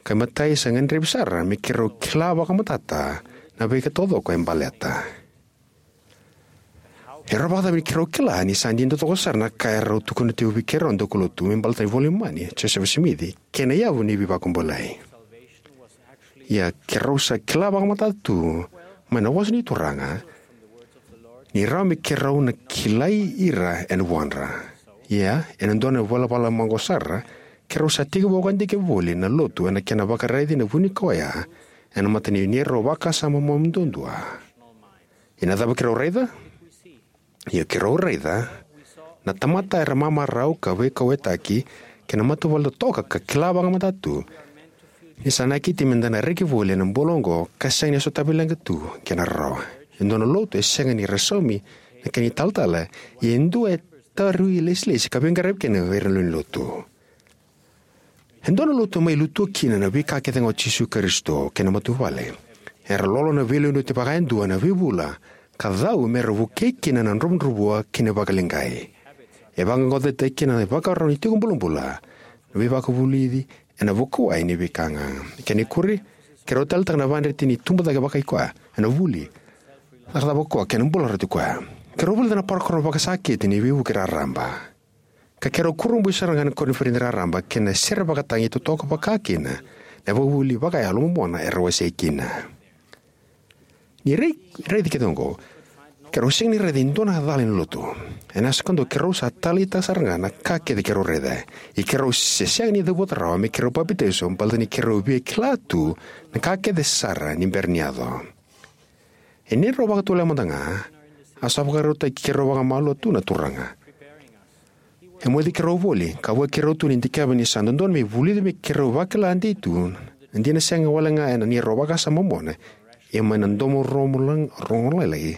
ka imatai sa gadrevi sara me keirau kila vakamatata na veika taucoko e baleta. E rawa vakacava ni keirau kila ni sa dina taucoko sara na ka e rau tukuna tiko vei keirau na daukaulotu me baleta na iVola i Momani, Josefa Simici, kei na yavu ni veivakabulai? Ia keirau sa kila vakamatata tu mai na vosa ni Turaga ni rawa me keirau na kilai ira ena vuadra. Ia ena dua na ivalavala maqo sara, keirau sa tekivu vakadikeva voli na lotu ena kena vakaraici na vunikau oya ena mata ni neirau vakasama momani duadua. Ia na cava keirau raica? Ia keirau raica na tamata era mamarau ka veikauwaitaki kei na matavuvale totoka ka kila vakamatata tu ni sa nakiti me da na reki voli ena bula oqo ka sega ni sotavi leqa tu kei na rarawa. E dua na lotu e sega ni ra saumi na kena italatala, ia e dua e tauri ilesilesi ka veiqaravi kina vei ira na lewe ni lotu. E dua na lotu mai lutu kina na veika kece ga o Jisu Karisito kei na matavuvale. Era lolo na veilewe ni oti vakayadua na veivula ka cau me ra vukei kina na dravudravua kei na vakaleqai. E vaqaqacotaki kina na ivakarau ni tiko bulabula, na veivakavulici ena vuku ni veika ga. Kena ikuri, keirau taleitaka na vakadreti ni tubu cake vakai koya ena vuli, cakacaka vakakoya kei na bula rauti koya. Keirau vulica na parokaramu vakasakiti ni veivuke raraba, ka keirau kurabui sara ga ena koniferedi raraba kei na sere vakatagi totoka vaka kina na ivakavuvuli vakayalo momona era wasei kina. Ni rai, raici kece oqo, keirau sega ni raica e dua na cala ni lotu. Ena yasa kadua keirau sa taleitaka sara ga na ka kece keirau raica. Ia keirau se sega ni cavuta rawa me keirau papitaiso baleta ni keirau via kila tu na ka kece sara ni bera ni yaco. E neirau vakatulewa mada ga, a sa vakarautaki keirau vakamalua tu na Turaga. E moci keirau voli ka vukei keirau tu ni dikeva ni sa dodonu me vulica me keirau vakila dei tu na dina sega wale ga ena neirau vakasama momona, ia mai na domo rogo lag-, rogo lailai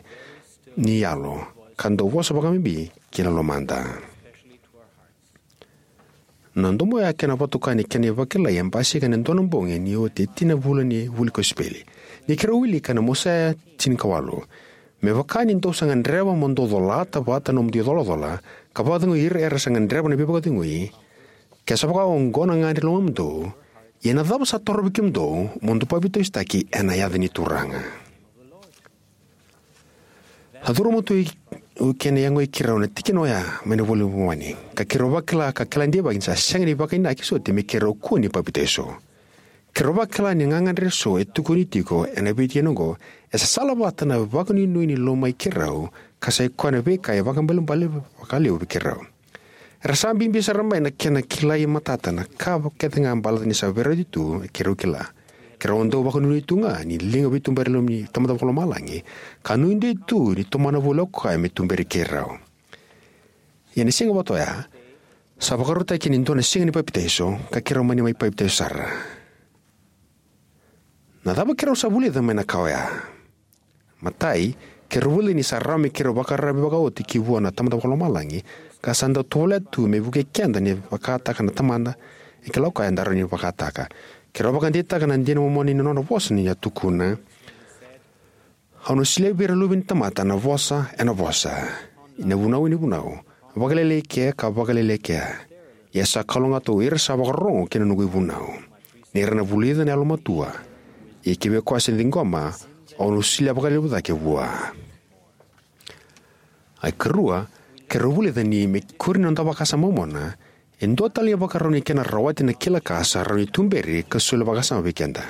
ni yalo, ka dau vosa vakabibi ki na lomada. Na domo oya kei na vakatokai ni kena ivakilai e basika ena dua na bogi ni oti e tini na vula ni vuli kosipeli. Ni keirau wilika ena Mosaia tinikawalu, me vaka ni dou sa gadreva mo dou colata vata na nomudou icolacola, ka vakacegui ira era sa gadreva na veivakacegui, ke sa vaka oqo na gagadre ni lomamudou, ia na cava sa torovi kemudou mo dou papitaisotaki ena yaca ni Turaga? A curuma tu o kena yagoi keirau na tikina oya mai na iVola i Momani, ka keirau vakila ka kila deivaki ni sa sega ni vakainaki soti me keirau kua ni papitaiso. Keirau vakila ni gagadre eso e tukuni tiko ena veitikina oqo e sa salavata na vakanuinui ni lomai keirau, ka sa i koya na veika e vakaibalebale vakalevu vei keirau. Era sa bibi sara mai na kena kilai matata na ka kece ga baleta ni sa veirauti tu keirau kila. Keirau dau vakanuinui tu ga ni liga veituberi e loma ni Tamada Vakalomalagi, ka nuidei tu ni tomana voli o koya me tuberi keirau. Ia na siga vata oya, sa vakarautaki kina e dua na siga ni papitaiso, ka keirau mani mai papitaiso sara. Na cava keirau sa vulica mai na ka oya? Matai, keirau vulica ni sa rawa me keirau vakararavi vakaoti ki vua na Tamada Vakalomalagi, ka sa dau tovolea tu me vukei keda ni vakataka na Tamada, e kila o koya eda rawa ni vakataka. Keirau vakadeitaka na dina momona ni nona vosa ni a tukuna: Au na solia vei ira na luve ni tamata na vosa ena vosa, na vunau ena vunau, vakalailai kea ka vakalailai kea. Ia sa kalougata o ira sa vakarorogo ki na noqu ivunau, ni ra na vulica na yalomatua. Ia kivei koya sa ciqoma, au na solia vakalevu cake vua. iKarua, keirau vulica ni me kuri na noda vakasama momona, e dua tale na ivakarau ni kena rawati na kila ka sa rawa ni tuberi ka soli vakasama vei keda.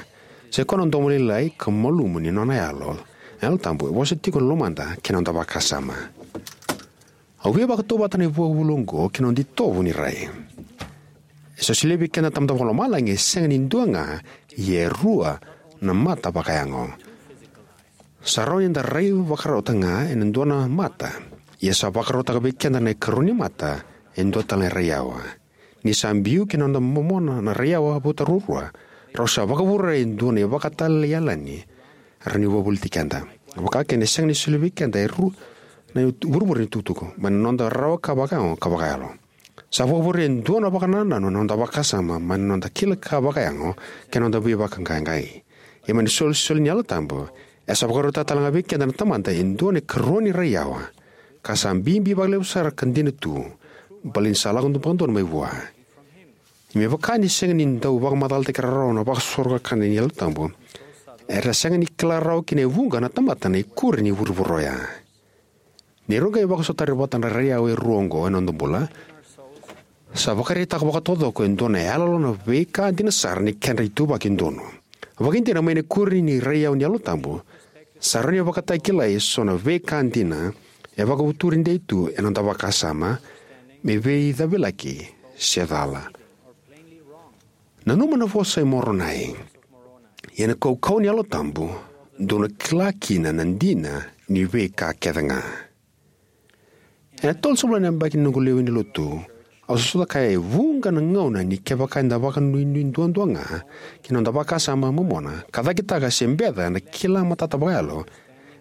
Sa i koya na domo lailai ka malumu ni nona yalo, na Yalo Tabu, e vosa tiko ena lomada kei na noda vakasama. Au via vakatautauvata na ivakavuvuli oqo kei na noda itovo ni rai. E sa solia vei keda na Tamada Vakalomalagi e sega ni dua ga, ia e rua na mata vakayago. Sa rawa ni da rai vakarautaka ga ena dua na mata, ia sa vakarautaka vei keda na ikarua ni mata e dua tale na raiyawa. Ni sa biu ki na noda momona na raiyawa vata ruarua, rau sa vakavurea e dua na ivakatalai yalani, rawa ni vakavoliti keda. Vakakina, e sega ni solia vei keda e rua na vurevure ni itukutuku, mai na noda rawa ka vakayago ka vakayalo. Sa vakavurea e dua na vakanananu ena noda vakasama, mai na noda kila ka vakayago kei na noda veivakaqaqai. Ia mai na isolisoli ni Yalo Tabu, e sa vakarautaka tale ga vei keda na Tamada e dua na ikarua ni raiyawa, ka sa bibi vakalevu sara ka dina tu, baleta ni sa lako vakadodonu mai vua. Ia me vaka ni sega ni dau vakamacalataki rawa na vakasoro kakana ni Yalo Tabu, era sega ni kila rawa kina e vuqa na tamata na ikuri ni vurevure oya. Ni rau qai vakasotari vata na raiyawa e rua oqo ena noda bula, sa vakaraitaka vakataucoko e dua na iyaloyalo na veika dina sara ni kedra ituvaki donu. Vakaidina, mai na ikuri ni raiyawa ni Yalo Tabu, sa rawa ni vakatakilai eso na veika dina e vakavuturi dei tu ena noda vakasama, me veicavilaki se cala. Nanuma na vosa i Moronai: Ia na kaukauwa ni Yalo Tabu, dou na kila kina na dina ni veika kece ga. Ena tolusagavulu na yabaki ni noqu lewe ni Lotu, au sa sota kaya e vuqa na gauna ni kevaka eda vakanuinui duadua ga ki na noda vakasama momona, ka cakitaka se beca na kila matata vakayalo,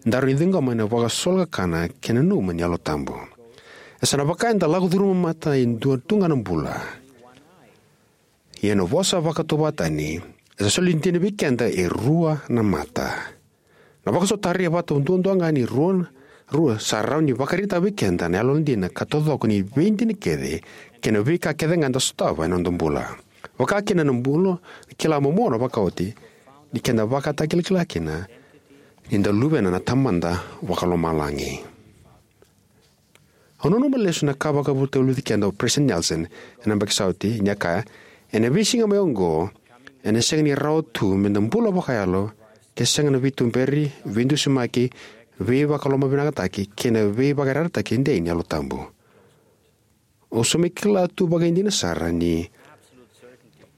eda rawa ni ciqoma ena vakasolo kakana kei na nanuma ni Yalo Tabu. E sa na vaka eda lako curuma mata e dua tu ga na bula. Ia na vosa vakatauvatani, e sa soli dina vei keda e rua na mata. Na vakasotari e vata duadua ga ni rua, rua sa rawa ni vakaraitaka vei keda na yalodina ka taucoko ni veidina kece kei na veika kece ga eda sotava ena noda bula. Vakakina na bula, na kila momona vakaoti, ni keda vakatakilakila kina ni da luvena na Tamada Vakalomalagi. Au nanuma lesu na ka vakavutavulici keda o President Nelson ena yabaki sa oti, ni a kaya: Ena veisiga mai oqo, ena sega ni rawa tu meda bula vakayalo ke sega na veituberi, veidusimaki, veivakalomavinakataki kei na veivakayarayarataki dei ni Yalo Tabu. Au sa mai kila tu vakaidina sara ni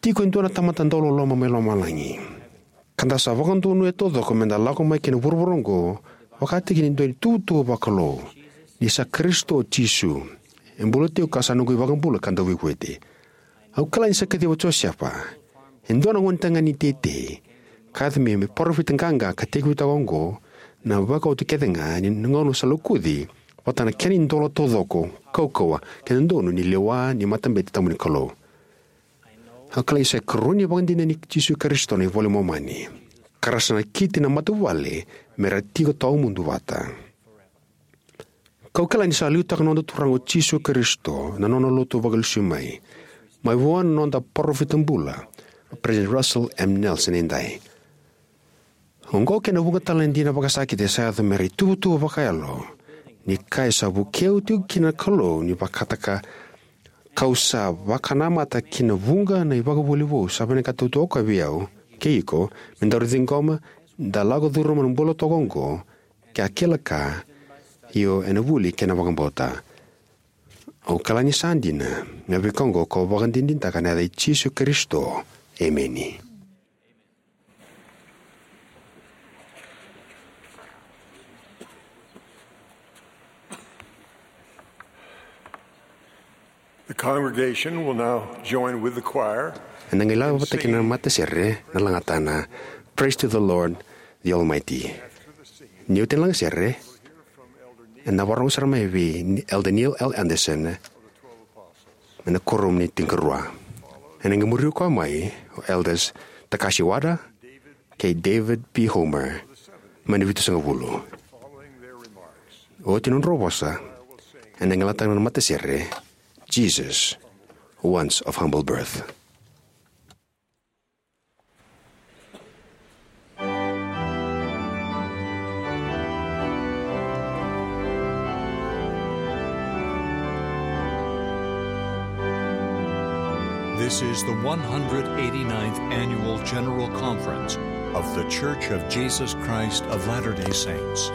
tiko e dua na tamata dauloloma mai lomalagi, ka da sa vakadonuya taucoko meda lako mai ki na vuravura oqo, vakataki ni dua na ituvatuva vakalou, ni sa Karisito Jisu, e bula tiko ka sa noqu iVakabula ka Dauveivueti. Au kila ni sa kaciva o Josefa, e dua na gonetagane ni teitei, ka yaco me, me parofita qaqa ka tekivutaka oqo na vakaoti kece ga ni gauna sa lokuci vata na kena idola taucoko, kaukauwa kei na donu ni lewa ni matabete tabu ni Kalou. Au kila ni sa ikarua ni ivakadinadina nei Jisu Karisito na iVola i Momani, ka ra sa nakiti na matavuvale me ra tiko tawamudu vata. Kau kila ni sa liutaka na noda Turaga o Jisu Karisito na nona lotu vakalesui mai, mai vua na noda parofita bula, o President Russell M. Nelson, edai. Oqo kei na vuqa tale na dina vakasakiti sa yaco me ra ituvatuva vakayalo, ni ka e sa vukei au tiko kina na Kalou ni vakataka, kau sa vakanamata ki na vuqa na ivakavuvuli vou sa vinakata tu o koya vei au kei iko, me daru ciqoma, da lako curuma na bula toka oqo, ke a kila ka, io ena vuli kei na vakabauta. Au kila ni sa dina na veika oqo kau vakadinadinataka ena yaca i Jisu Karisito. Emeni. The congregation will now join with the choir. Ena qai lako vata kei na matasere na lagatana Praise to the Lord, the Almighty. Ni oti na lagasere, ena vakarorogo sara mai vei Elder Neil L. Andersen, mai na Kuoramu ni Tinikarua. Ena qai muri koya mai o Elders Takashi Wada, kei David P. Homer, mai na Vitusagavulu. Oti na nodrau vosa, ena qai lataka na matasere, Jesus, Once of Humble Birth. This is the one hundred eighty-ninth Annual General Conference of The Church of Jesus Christ of Latter-day Saints.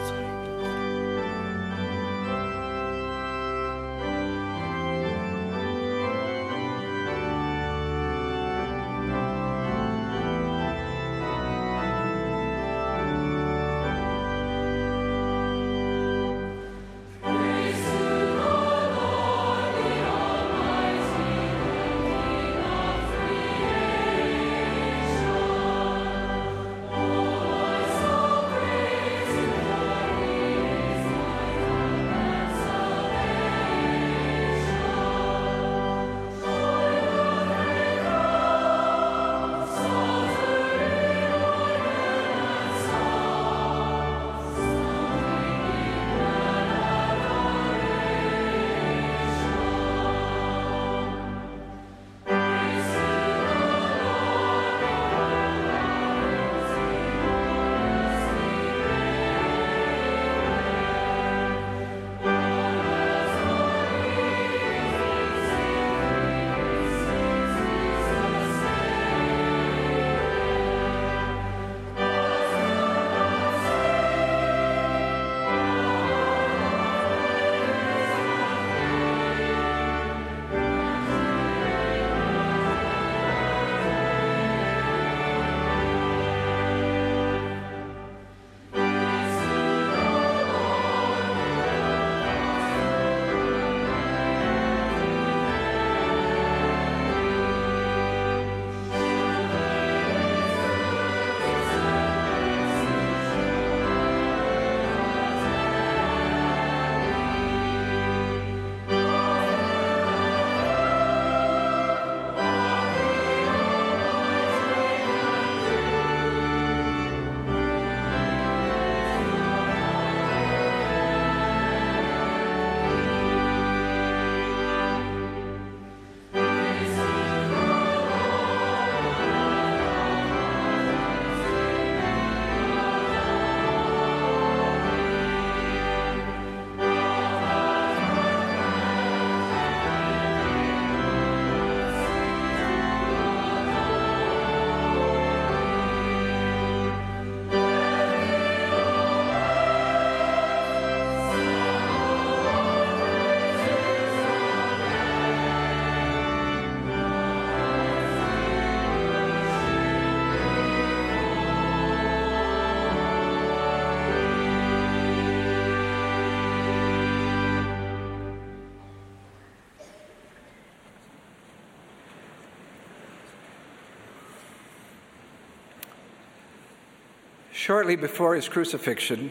Shortly before his crucifixion,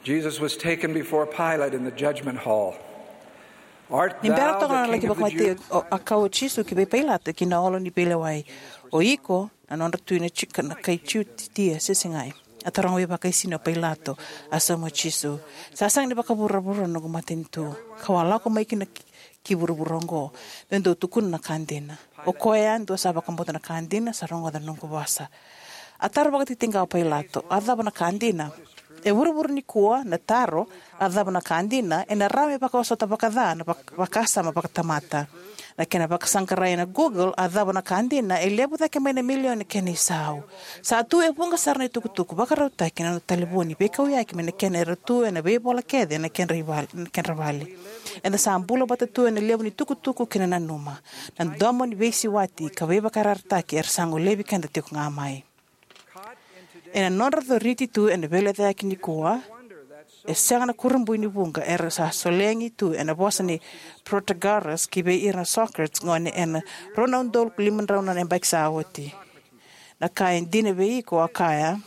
Jesus was taken before Pilate in the judgment hall. Art Ni bera thou toka the na king laki of the vakamatei Jews? O, a kaya o Jisu ki vei Pailato ki na olo ni veilewai, "O iko na nodra tui na Jiu-, na kai Jutia, se segai?" A taroga vakaisini o Pailato. A sauma o Jisu, "Sa sega ni vakavuravura na noqu matanitu, kau a lako mai kina ki, ki vuravura oqo meu dau tukuna na ka dina. O koya yadua sa vakabauta na ka dina sa rogoca na noqu vosa." A taro vakatitiqa o Pailato, "A cava na ka dina?" E vuravura nikua na taro, "A cava na ka dina?" ena rawa me vakaosota vakaca na vak-, vakasama vakatamata. Na kena vakasaqarai ena Google, "A cava na ka dina?" e levu cake mai na milioni na kena isau. Sa tu e vuqa sara na itukutuku vakarautaki ena noda talevoni, veikauyaki mai na kena era tu ena veivola kece ena kedra ivale, na kedra vale. Eda sa bula vata tu ena levu ni tukutuku kei na nanuma, na domo ni veisiwati ka veivakayarayarataki era sa golevi keda tiko ga mai. Ena nodra coriti tu ena veilecayaki nikua, e sega na kurabui ni vuqa era sa solegi tu ena vosa nei Protagoras ki vei ira na Socrates gone ena rua na udolu lima drau na yabaki sa oti. Na ka e dina vei iko, a kaya,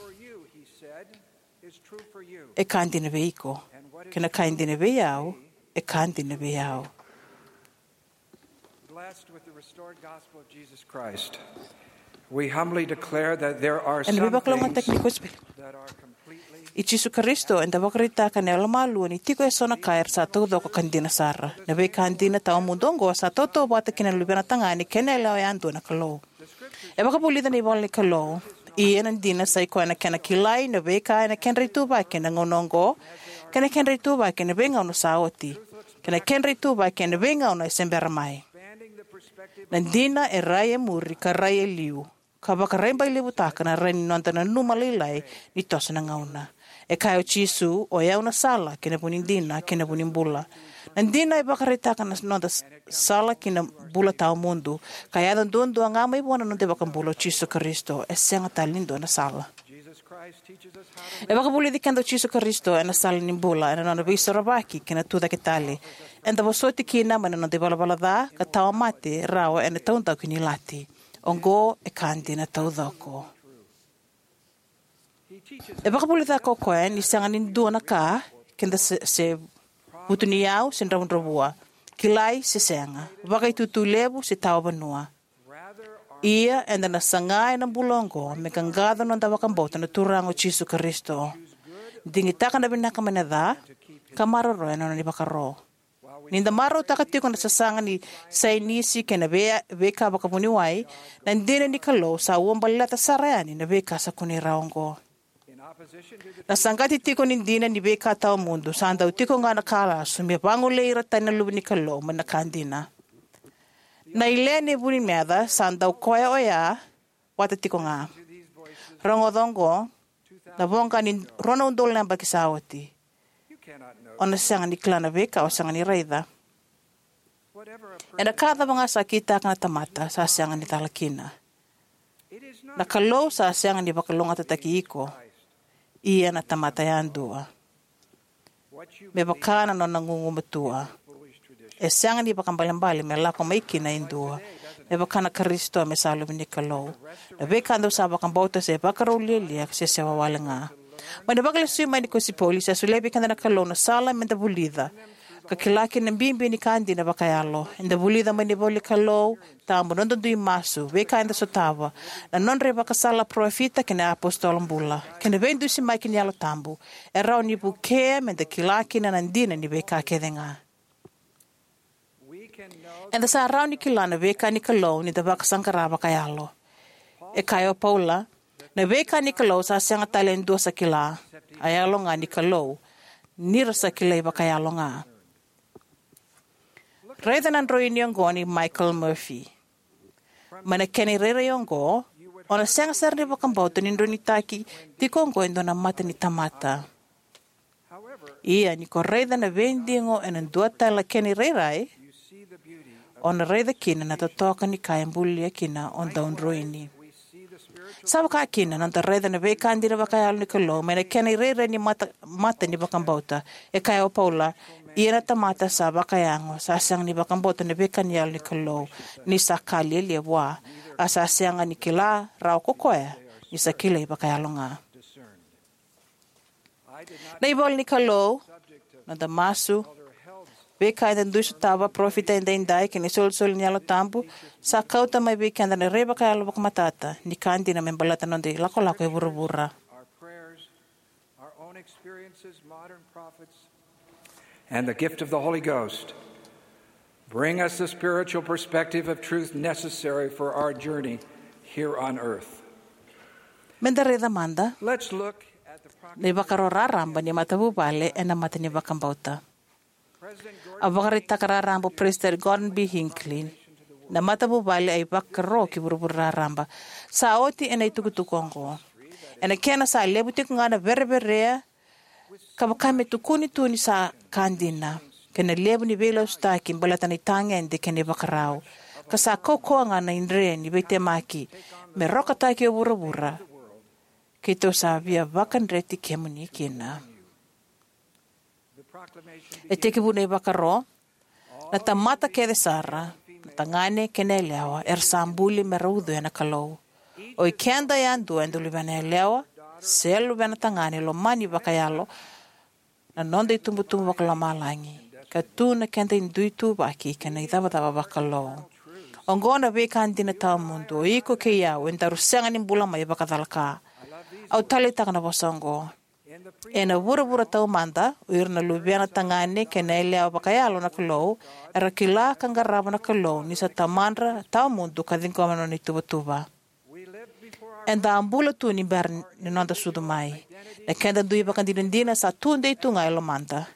e ka dina vei iko. Kei na ka e dina vei au, e ka dina vei au. Blessed with the restored gospel of Jesus Christ, We humbly declare that there are Ena some veivakalougatataki ni things kosipeli that are completely i Jisu Karisito, eda vakaraitaka ena yalomalua ni tiko eso na ka era sa taucoko ka dina sara. Na veika dina tawamudu oqo sa tautauvata kina na luvena tagane kei na yalewa yadua na Kalou. E vakavulica na ivola ni Kalou, ia na dina sa i koya na kena kilai na veika ena kedra ituvaki ena gauna oqo, kei na kedra ituvaki ena veigauna sa oti, kei na kedra ituvaki ena veigauna e se bera mai. Na dina e rai e muri ka rai e liu, ka vakarabailevutaka na rai ni noda nanuma lailai ni toso na gauna. E kaya o Jisu, o yau na sala, kei na vu ni dina, kei na vu ni bula. Na dina e vakaraitaka na noda s-, sala ki na bula tawamudu, ka yaco duadua ga mai vua na noda iVakabula o Jisu Karisito. E sega tale ni dua na sala. E vakavulici keda o Jisu Karisito ena sala ni bula, ena nona veisorovaki kei na tucake tale. Eda vosoti kina mai na noda ivalavala ca, ka tawa mate rawa ena taudaku ni lati. Oqo e ka dina taucoko. E vakavulica ko koya ni sega ni dua na ka, keda se, se vutuniyau, se dravudravua, kilai se sega, vakaitutu levu se tawa vanua. Ia, eda na saga ena bula oqo me qaqaco noda vakabauta na Turaga o Jisu Karisito, digitaka na vinaka mai na ca, ka maroroya na nona ivakaro. Ni da marautaka tiko na sasaga ni saienisi kei na vei-, veika vakavuniwai, na dina ni Kalou sa uabaleta sara yani na veika sa kunei rawa oqo. Na saqati tiko ni dina ni veika tawamudu, sa dau tiko ga na ka lasu me vagolei ira tani na luve ni Kalou mai na ka dina. Na ile ni vu ni meca sa dau koya oya vata tiko ga. Rogoca oqo, na voqa ni rua na udolu na yabaki sa oti. O na sega ni kila na veika o sega ni raica. Ena ka cava ga sa kitaka na tamata, sa sega ni cala kina. Na Kalou sa sega ni vakalougatataki iko, ia na tamata yadua. Me vaka na nona gugumatua. E sega ni vakaibalebale me lako mai kina e dua. Me vaka na Karisito me sa luve ni Kalou. Na veika dou sa vakabauta se vakarau lialia se sewa wale ga. Mai na vakalesui mai ni kosipeli, sa solia vei keda na Kalou na sala me da vulica ka kila kina na bibi ni ka dina vakayalo. Eda vulica mai na ivola ni Kalou tabu, noda dui masu, veika eda sotava, na nodra ivakasala na parofita kei na apositolo bula, kei na veidusimaki ni Yalo Tabu, e rawa ni vukea me da kila kina na dina ni veika kece ga. Eda sa rawa ni kila na veika ni Kalou ni da vakasaqara vakayalo. E kaya o Paula, na veika ni Kalou sa sega tale e dua sa kila, a yalo ga ni Kalou, ni ra sa kilai vakayalo ga. Raica na droini oqo nei Michael Murphy. Mai na kena irairai oqo, o na sega sara ni vakabauta ni droinitaki tiko oqo e dua na mata ni tamata. Ia, ni ko raica na veidigo ena dua tale na kena irairai, o na raica kina na totoka ni ka e bulia kina o dau droini. Sa vaka kina na noda raica na veika dina vakayalo ni Kalou mai na kena irairai ni mata, mata ni vakabauta. E kaya o Paula, ia na tamata sa vakayago, sa sega ni vakabauta na veika ni Yalo ni Kalou, ni sa ka lialia vua, a sa sega ni kila rawa ko koya ni sa kilai vakayalo ga. Na ivola ni Kalou, noda masu, veika eda dui sotava, parofita edaidai kei na isolisoli ni Yalo Tabu, sa kauta mai vei keda na rai vakayalo vakamatata ni ka dina me baleta na noda ilakolako e vuravura. Our prayers, our own experiences, modern prophets, and the gift of the Holy Ghost bring us the spiritual perspective of truth necessary for our journey here on earth. Me da raica mada. Let's look at the na ivakaro raraba ni matavuvale ena mata ni vakabauta. A vakaraitaka raraba o President Gordon B. Hinckley, na matavuvale a ivakaro ki vuravura raraba. Sa oti ena itukutuku oqo. Ena kena sa levu tiko ga na vereverea ka vaka me tukuni tu ni sa ka dina, kei na levu ni veilasutaki baleta na itagede kei na ivakarau. Ka sa kaukauwa ga na idre ni veitemaki me rokataki o vuravura. Keitou sa via vakadreti kemuni kina. E tekivu na ivakaro, na tamata kece sara, na tagane kei na yalewa, era sa buli me ra ucuya na Kalou. O ikeda yadua eda luvena yalewa se luvena tagane lomani vakayalo na noda itubutubu vakalomalagi, ka tu na keda idui ituvaki kei na icavacava vakalou. Oqo na veika dina tawamudu, o iko kei au e daru sega ni bula mai vakacalaka. Au taleitaka na vosa oqo. Ena vuravura taumada, o ira na luvena tagane kei na yalewa vakayalo na Kalou era kila ka qarava na Kalou ni sa tamadra tawamudu ka ciqoma na nona ituvatuva. Eda a bula tu ni bera ni noda sucu mai. Na keda dui ivakadinadina sa tudei tu ga e lomada.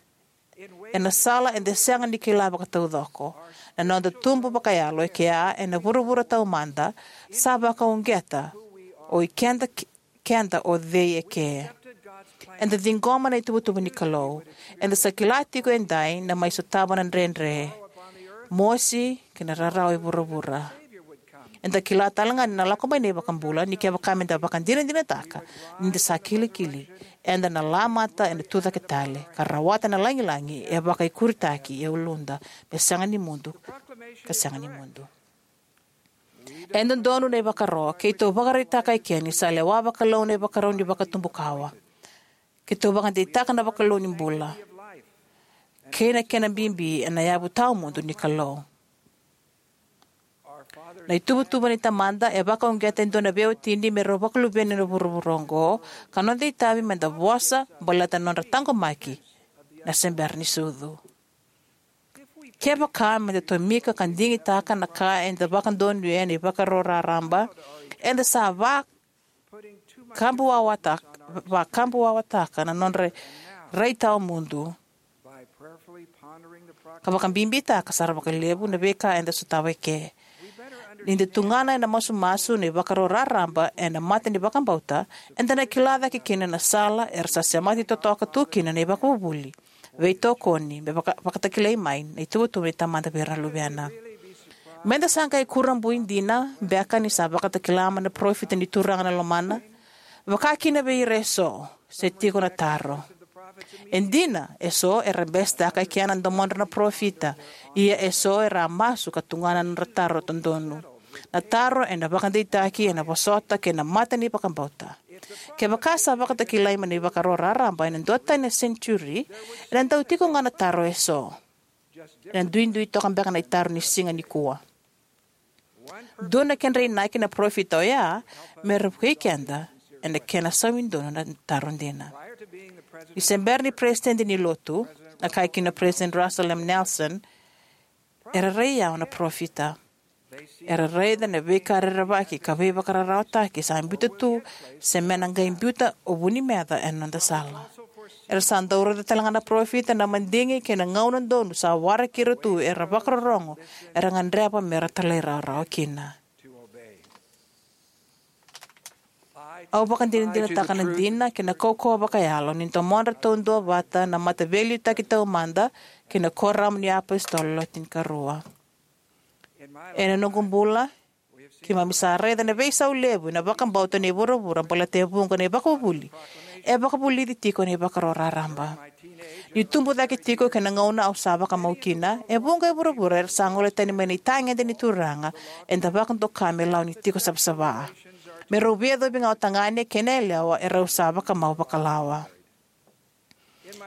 Ena sala eda sega ni kila vakataucoko, na noda tubu vakayalo e kea ena vuravura taumada sa vakauqeta o ikeda, keda o cei e ke. Eda ciqoma na ituvatuva ni Kalou. Eda sa kila tiko edai na mai sotava na dredre, mosi kei na rarawa e vuravura. Eda kila tale ga ni na lako mai na iVakabula, ni kevaka meda vakadinadinataka ni da sa kilikili, eda na lamata ena tucake tale ka rawata na lagilagi e vakaikuritaki e uluda me sega ni mudu, ka sega ni mudu. E dodonu na ivakaro, keitou vakaraitaka e ke ni sa lewa vakalou na ivakarau ni vakatubukawa. Keitou vakadeitaka na vakalou ni bula kei na kena bibi ena yavu tawamudu ni Kalou. Na ituvatuva ni Tamada e vakauqeta e dua na veiwatini me rau vakaluveni ena vuravura oqo, ka noda itavi meda vosa baleta na nodra taqomaki na se bera ni sucu. Kevaka meda tomika ka digitaka na ka eda vakadonuya ena ivakaro raraba, eda sa va kabuwawataka, vakabuwawataka na nodra rai tawamudu, ka vakabibitaka sara vakalevu na veika eda sotava e ke. Ni da tugana ena masumasu na ivakaro raraba ena mata ni vakabauta, eda na kila cake kina na sala era sa semati totoka tu kina na ivakavuvuli, veitokoni me vaka, vakatakilai mai na ituvatuva ni Tamada vei ira na luvena. Meda sa qai kurabui dina beka ni sa vakatakila mai na parofita ni Turaga na lomana? Vaka kina vei ira eso, se tiko na taro. E dina, eso era besetaka e kea na domodra na parofita, ia eso era a masu ka tugana na nodra taro dodonu. Na taro ena vakadeitaki ena vosota kei na mata ni vakabauta. Kevaka sa vakatakilai mai na ivakaro raraba ena duatani na senitiuri, ena dau tiko ga na taro eso. Ena duidui toka beka na itaro ni siga nikua. Dua na kedra inaki na parofita oya me ra vukei keda ena kena saumi donu na taro dina. Ni se bera ni peresitedi ni Lotu, a kaya kina o Peresitedi Russell M. Nelson, era rai yawa na parofita. Era raica na veika rerevaki ka veivakararawataki sa biuta tu se me na qai biuta o vu ni meca ena noda sala. Era sa dau raica tale ga na parofita na madigi kei na gauna donu sa waraki ira tu era vakarorogo era gadreva me ra talairawarawa kina. Au vakadinadinataka na dina kei na kaukauwa vakayalo ni domodra taudua vata na mataveiliutaki taumada kei na Kuoramu ni iApositolo Le Tinikarua. Ena noqu bula, keimami sa raica na veisau levu ena vakabauta ni vuravura baleta e vuqa na ivakavuvuli e vakavulici tiko ena ivakaro raraba. Niu tubu cake tiko kei na gauna au sa vakamau kina, e vuqa e vuravura era sa gole tani mai na itagede ni Turaga eda vakadoka me lawa ni tiko savasava. Me rau veiyacovi ga o tagane kei na yalewa erau sa vakamau vakalawa.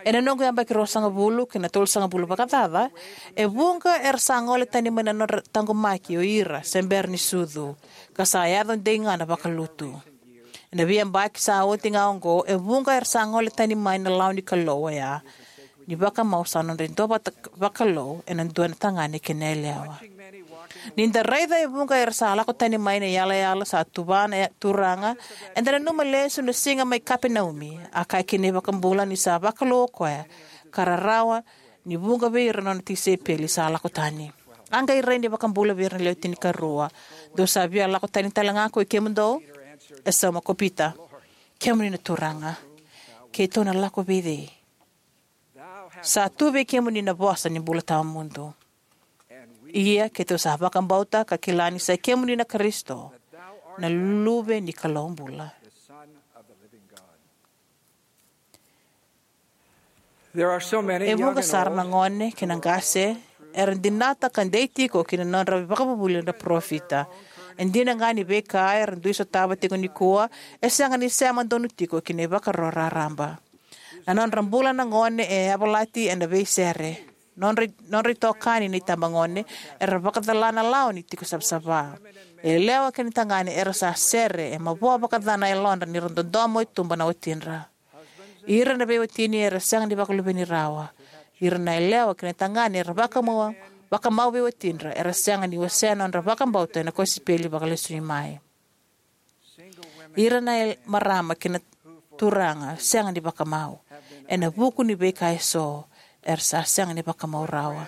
Ena noqu yabaki ruasagavulu kei na tolusagavulu vakacaca, e vuqa era sa gole tani mai na nodra taqomaki o ira se bera ni sucu, ka sa yaco dei ga na vakalutu. Ena veiyabaki sa oti ga oqo, e vuqa era sa gole tani mai na lawa ni Kalou oya, ni vakamau sa nodra iduavata vakalou ena dua na tagane kei na yalewa. Ni da raica e vuqa era sa lako tani mai na iyalayala sa tuva na ya-, Turaga, eda nanuma lesu na siga mai Kapenaumi, a kaya kina na iVakabula ni sa vakalou o koya, ka rarawa ni vuqa vei ira na nona tisaipeli sa lako tani. A qai rai na iVakabula vei ira na lewe tinikarua, dou sa via lako tani tale ga ko i kemudou? E sauma ko Pita, kemuni na Turaga, keitou na lako vei cei? Sa tu vei kemuni na vosa ni bula tawamudu. Ia keitou sa vakabauta ka kila ni sa kemuni na Karisito, na Luve ni Kalou bula. There are so many E vuqa sara na gone kei na qase era dinata ka dei tiko ki na nodra vakavuvuli na parofita. E dina ga ni veika era dui sotava tiko nikua e sega ni sema donu tiko ki na ivakaro raraba. Na nodra bula na gone e yavalati ena veisere. Nodra, nodra itokani na itabagone era vakacala na lawa ni tiko savasava. E yalewa kei na tagane era sa sere, e mavoa vakaca na yalodra ni ra dodomo e tuba na watidra. Ira na veiwatini era sega ni vakaluveni rawa. Ira na yalewa kei na tagane era vakamau, vakamau veiwatidra era sega ni wasea nodra vakabauta ena kosipeli vakalesui mai. Ira na yal-, marama kei na turaga sega ni vakamau ena vuku ni veika eso, era sa sega ni vakamau rawa.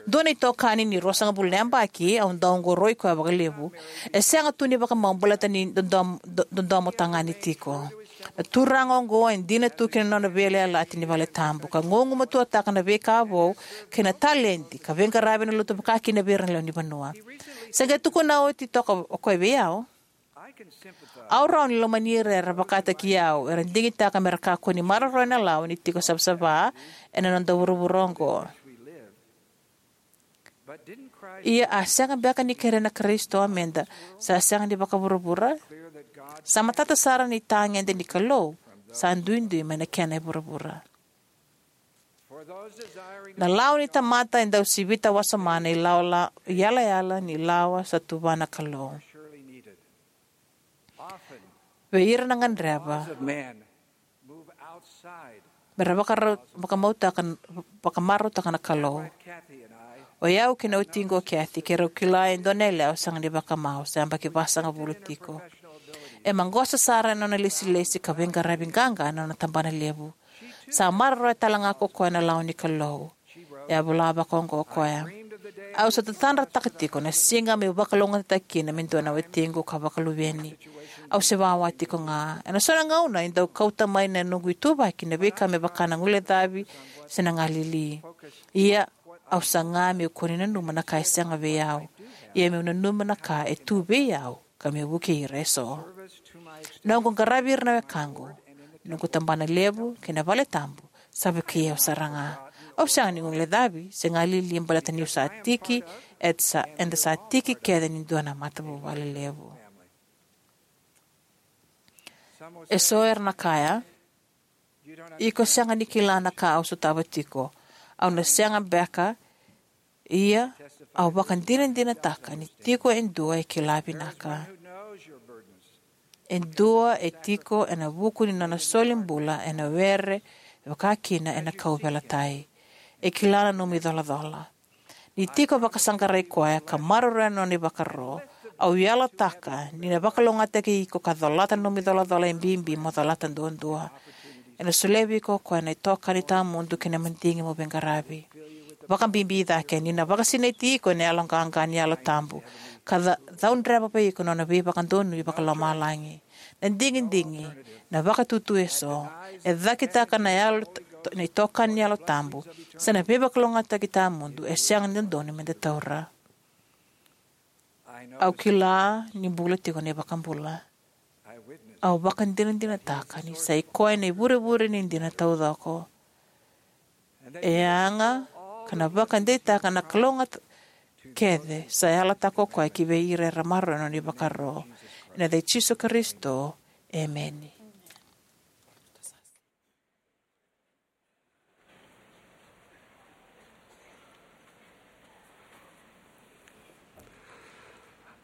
Dua na itokani ni ruasagavulu na yabaki, au dau oqoroi koya vakalevu, e sega tu ni vakamau baleta ni dodom-, do-, dodomo tagane tiko. Na turaga oqo e dina tu ki na nona veiyalayalati ni valetabu, ka gugumatuataka na veika vou kei na taledi ka veiqaravi ena lotu vakakina vei ira na lewe ni vanua. Sa qai tukuna oti toka o koya vei au, "Au rawa ni lomani ira era vakataki au, era digitaka me ra kakua ni maroroya na lawa ni tiko savasava ena noda vuravura oqo." Ia, a sega beka ni kerea na Karisito meda sa sega ni vakavuravura? Sa matata sara ni tagede ni Kalou sa duidui mai na kena e vuravura. Na lawa ni tamata e dau sivita wasoma na ilawa la-, iyalayala ni lawa sa tuva na Kalou. Vei ira na gadreva me ra vakara-, vakamautaka, vakamarautaka na Kalou. O yau kei na watiqu o Kathy, keirau kila e dua na yalewa sega ni vakamau, sa yabaki vasagavulu tiko. E maqosa sara ena nona lesilesi ka veiqaravi qaqa ena nona tabana levu. Sa maroroya tale ga ko koya na lawa ni Kalou. E a vola vakaoqo o koya: "Au sa tatadrataka tiko na siga meu vakalougatataki kina me dua na watiqu ka vakaluveni. Au se wawa tiko ga. Ena so na gauna e dau kauta mai na noqu ituvaki na veika me vaka na guilecavi se na galili. Ia, au saga meu kua ni nanuma na ka e sega vei au, ia meu nanuma na ka e tu vei au, ka meu vukei ira eso. Noqu qaravi ira na wekaqu, noqu tabana levu kei na valetabu, sa vukei au sara ga. Au sega ni guilecavi se galili baleta niu sa tiki, eda sa, eda sa tiki kece ni dua na matavuvale levu." Eso era na kaya, "Iko sega ni kila na ka au sotava tiko. Au na sega beka, ia au vakadinadinataka ni tiko e dua e kila vinaka. E dua e tiko ena vuku ni nona soli bula ena were, e vaka kina ena kauveilatai. E kila na nomu icolacola. Ni tiko vakasaqarai koya ka maroroya na nona ivakaro, au yalataka ni na vakalougatataki iko ka colata na nomu icolacola e bibi mo colata duadua. Ena solia vei iko o koya na itokani tawamudu kei na madigi mo veiqaravi. Vakabibi cake ni na vakasinaiti iko ena yaloqaqa ni Yalo Tabu, ka ca-, caudreva vei iko na nona veivakadonui vakalomalagi. Na digidigi, na vakatutu eso, e cakitaka na yalo t-, t-, na itokani ni Yalo Tabu, se na veivakalougatataki tawamudu e sega ni dodonu meda taura. Au kila ni bula tiko na iVakabula. Au vakadinadinataka ni sa i koya na ivurevure ni dina taucoko. E yaga ka na vakadeitaka na kalougata kece sa yalataka o koya ki vei ira era maroroya na nona ivakaro. Ena yaca i Jisu Karisito, emeni.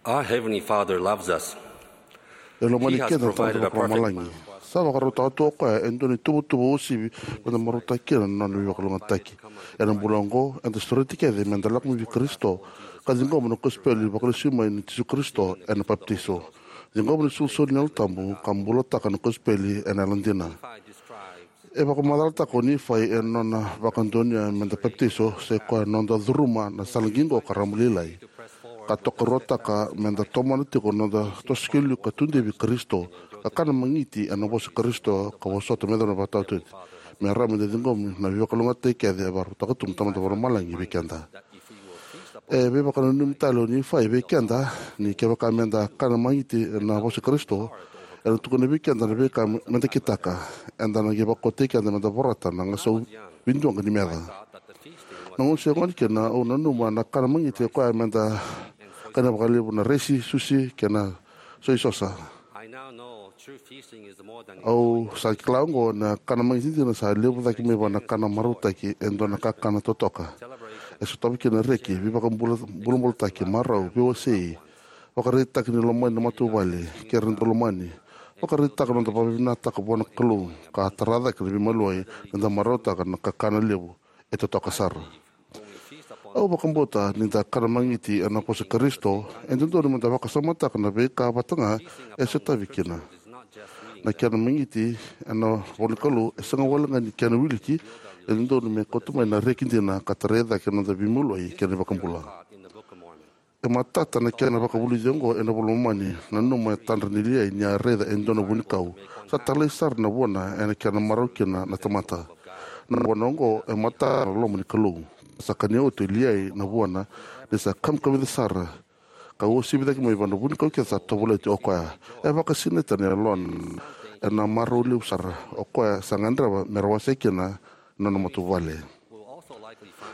Our Heavenly Father loves us. E lomani keda na Tamada Vakalomalagi. Sa vakarautaka tu o koya e dua na ituvatuva uasivi meda marautaka kina na nona veivakalougatataki. Ena bula oqo, eda sureti kece meda lako mai vei Karisito ka ciqoma na kosipeli vakalesui mai nei Jisu Karisito ena papitaiso. Ciqoma na isolisoli ni Yalo Tabu ka bulataka na kosipeli ena yalodina. E vakamacalataka o Nifai ena nona vakadonuya meda papitaiso, sai koya na noda curuma na sala qiqo ka rarama lailai, ka tokaruataka meda tomana tiko na noda toso ki liu ka tudei vei Karisito, ka kana magiti ena vosa i Karisito, ka vosota me yacova na vakataotioti. Me rawa meda ciqoma na veivakalougatataki kece e vakarautaka tu na Tamada Vakalomalagi vei keda. E veivakananumi tale o Nifai vei keda ni kevaka meda kana magiti ena vosa i Karisito, ena tukuna vei keda na veika meda kitaka. Eda na qai vakaukauwataki keda meda vorata na gasau viduaqa ni meca. Na gauna se gone kina, au nanuma na kana magiti e koya meda kana vakalevu na resi, susi kei na soisosa. Au sa kila oqo, na kana magiti dina sa levu cake mai vua na kana marautaki e dua na kakana totoka. E sotava kina na reki, veivakabulabulataki, marau, veiwasei, vakaraitaki ni lomani na matavuvale kei ira na daulomani, vakaraitaka na noda vakavinavinakataka vua na Kalou, ka tara cake na veimaliwai ni da marautaka na kakana levu e totoka sara. Au vakabauta ni da kana magiti ena vosa Karisito, e dodonu me da vakasamataka na veika vata ga e sotavi kina. Na kena magiti ena ivolanikalou e sega walega ni kena wiliki. E dodonu me kauta mai na reki dina ka tarai cake na noda veimaliwai kei na iVakabula. E matata na kena vakavulici oqo ena iVola i Momani. Nanuma e tadra nei Liai ni a raica e dua na vunikau. Sa talai sara na vuana ena kena marau kina na tamata. Na vuana oqo e matata na loma ni Kalou. Sa kania oti o Liai na vuana, ni sa kamikamica sara, ka uasivi cake mai vua na vunikau kece sa tovolea oti o koya. E vakasinaita na yalona ena marau levu sara o koya sa gadreva me ra wasea kina na nona matavuvale.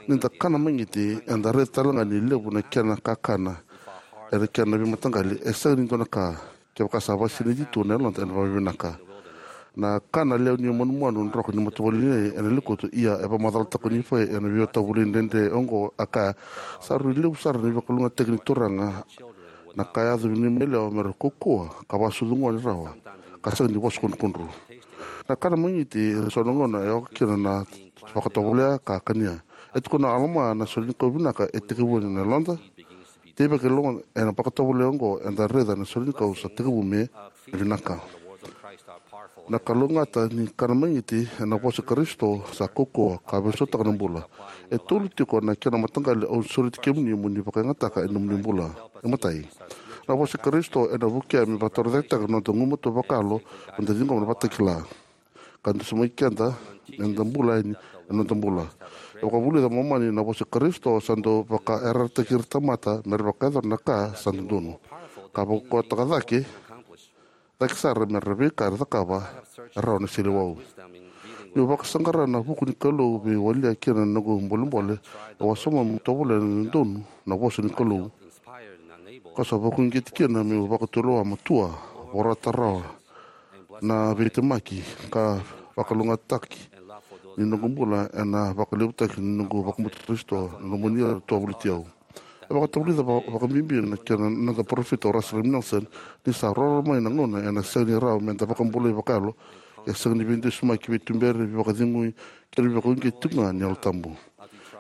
Ni da kana magiti, eda raica tale ga ni levu na kena kakana ena kena veimataqali. E sega ni dua na ka, kevaka sa vakasinaiti tu na yaloda ena vakavinaka. Na kana lewe ni manumanu droko ni matavuvale nei ena lekutu. Ia e vakamacalataka o Nifai ena veivakatovolei dredre oqo, a kaya, sa rui levu sara na veivakalougatataki ni Turaga na ka e yaco vei na neimami yalewa me ra kaukauwa ka vakasucu gone rawa, ka sega ni vosa kudrukudru. Na kana magiti ena so na gauna e oka kina na vakatovolea ka kania. E tukuna o Alama, na solenikau vinaka e tekivuna ena yaloda. Teivaki e loma ena vakatovolea oqo eda raica na solenikau sa tekivu me vinaka. Na kalougata ni kana magiti ena vosa Karisito sa kaukauwa ka veisautaka na bula. E tolu tiko na kena mataqali au sureti kemuni mo ni vakayagataka ena nomuni bula. E matai, na vosa Karisito ena vukea me vakatorocaketaka na noda gumatua vakayalo, me da ciqoma na vakatakila ka dusimaki keda me da bula yani ena noda bula. E vakavulica Momani, na vosa Karisito sa dau vakayarayarataki ira tamata me ra vakayacora na ka sa dodonu, ka vakaukauwataka cake, cake sara me ra veika era cakava e rawa na seleiwau. Niu vakasaqara na vuku ni Kalou vei walia kina na noqu bolebole, au a sauma meu tovolea na dodonu na vosa ni Kalou. Ka sa vakauqeti kina meu vakatulewa matua, vorata rawa na veitemaki ka vakalougatataki ni noqu bula ena vakalevutaki ni noqu vakabauti Karisito, na nomuni ira tou a voliti au. E vakatavulica va-, vakabibi na kena noda parofita o Russell M. Nelson, ni sa roro mai na gauna ena sega ni rawa me da vakabulai vakayalo, e sega ni veidusimaki, veituberi, veivakacegui, kei na veivakauqeti tiko ga ni Yalo Tabu.